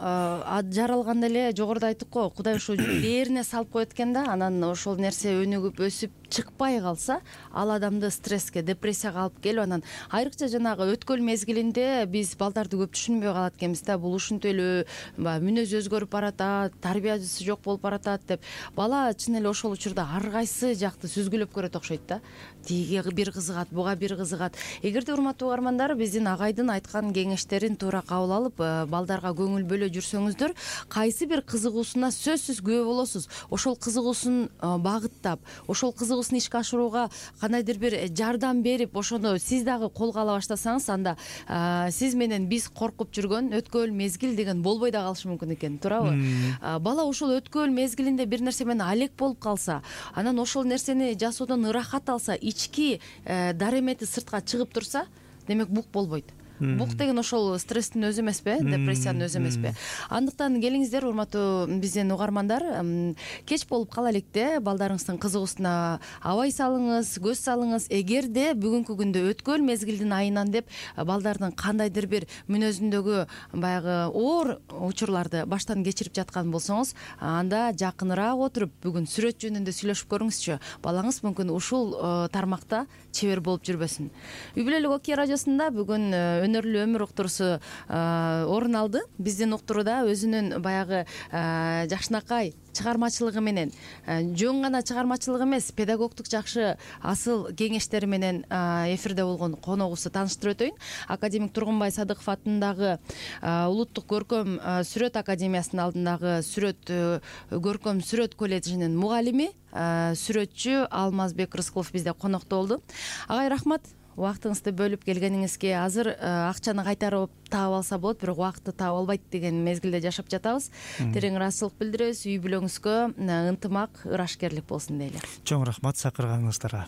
жаралганда эле жогоруда айттык го, Кудай ушу бээрине салып коет экен да, анан ошол нерсе өнүгүп өсүп чыкпай калса, ал адамды стресске, депрессияга алып келип, анан айрыкча жанагы өткөл мезгилинде биз балдарды көп түшүнбөй калат экенбиз да. Бул ушинтип эле мүнөзү өзгөрүп баратат, тарбиясы жок болуп баратат деп. Бала чын эле ошол учурда ар кайсы жакты сүзгүлөп көрөт окшойт да. Тиги бир кызыгат, буга бир кызыгат. Эгерде урматтуу угармандар, биздин агайдын айткан кеңештерин туура кабыл алып, балдарга көңүл бөлө жүрсөңүздөр, кайсы бир кызыгуусуна сөзсүз күбө болосуз. Ошол кызыгуусун багыттап, ошол кызыгуусун ишке ашырууга кандайдыр бир жардам берип, ошону сиз дагы колго ала баштасаңыз, анда сиз менен биз коркуп жүргөн өткөл мезгил деген болбой да калышы мүмкүн экен, туурабы? Бала ошол өткөл мезгилинде бир нерсе менен алек болуп калса, анан ошол нерсени жасоодон ырахат алса, ички даремети сыртка чыгып турса, демек бук болбойт. Бук деген ошол стресстин өзү эмеспи, депрессиянын өзү эмеспи? Андыктан келиңиздер, урматтуу биздин угармандар, кеч болуп кала электе балдарыңыздын кызыгуусуна абай салыңыз, көз салыңыз. Эгерде бүгүнкү күндө өткөл мезгилдин айынан деп балдардын кандайдыр бир мүнөзүндөгү баягы оор учурларды баштан кечирип жаткан болсоңуз, анда жакыныраак отуруп бүгүн сүрөт жөнүндө сүйлөшүп көрүңүзчү. Балаңыз мүмкүн ушул тармакта чебер болуп жүрбөсүн. Үй бүлөлүк Окей радиосунда бүгүн өнөрлүү өмүр уктуруусу орун алды. Биздин уктурууда өзүнүн баягы жакшынакай чыгармачылыгы менен, жөн гана чыгармачылыгы эмес, педагогдук жакшы асыл кеңештери менен эфирде болгон коногубузду тааныштырып өтөйүн. Академик Тургунбай Садыков атындагы Улуттук көркөм сүрөт академиясынын алдындагы сүрөт көркөм сүрөт коллежинин мугалими, сүрөтчү Алмазбек Рыскулов бизде конокто болду. Агай, рахмат. Убактыңызды бөлүп келгениңизге. Азыр акчаны кайтарып таап алса болот, бирок убакытты таап албайт деген мезгилде жашап жатабыз. Терең ыраазычылык билдиребиз. Үй бүлөңүзгө ынтымак, ырашкерлик болсун дейли.
Чоң рахмат чакырганыңыздарга.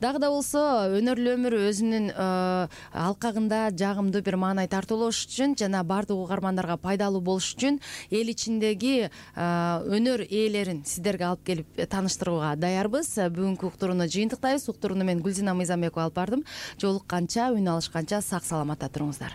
Дагы да болсо өнөрлүү өмүр өзүнүн алкагында жагымдуу бир маанай тартуулош үчүн жана баардык угармандарга пайдалуу болуш үчүн эл ичиндеги өнөр ээлерин сиздерге алып келип тааныштырууга даярбыз. Бүгүнкү уктурууну жыйынтыктайбыз. Уктурууну мен Гүлзина Мыйзамбекова алып бардым. Жолукканча, үн алышканча сак саламатта туруңуздар.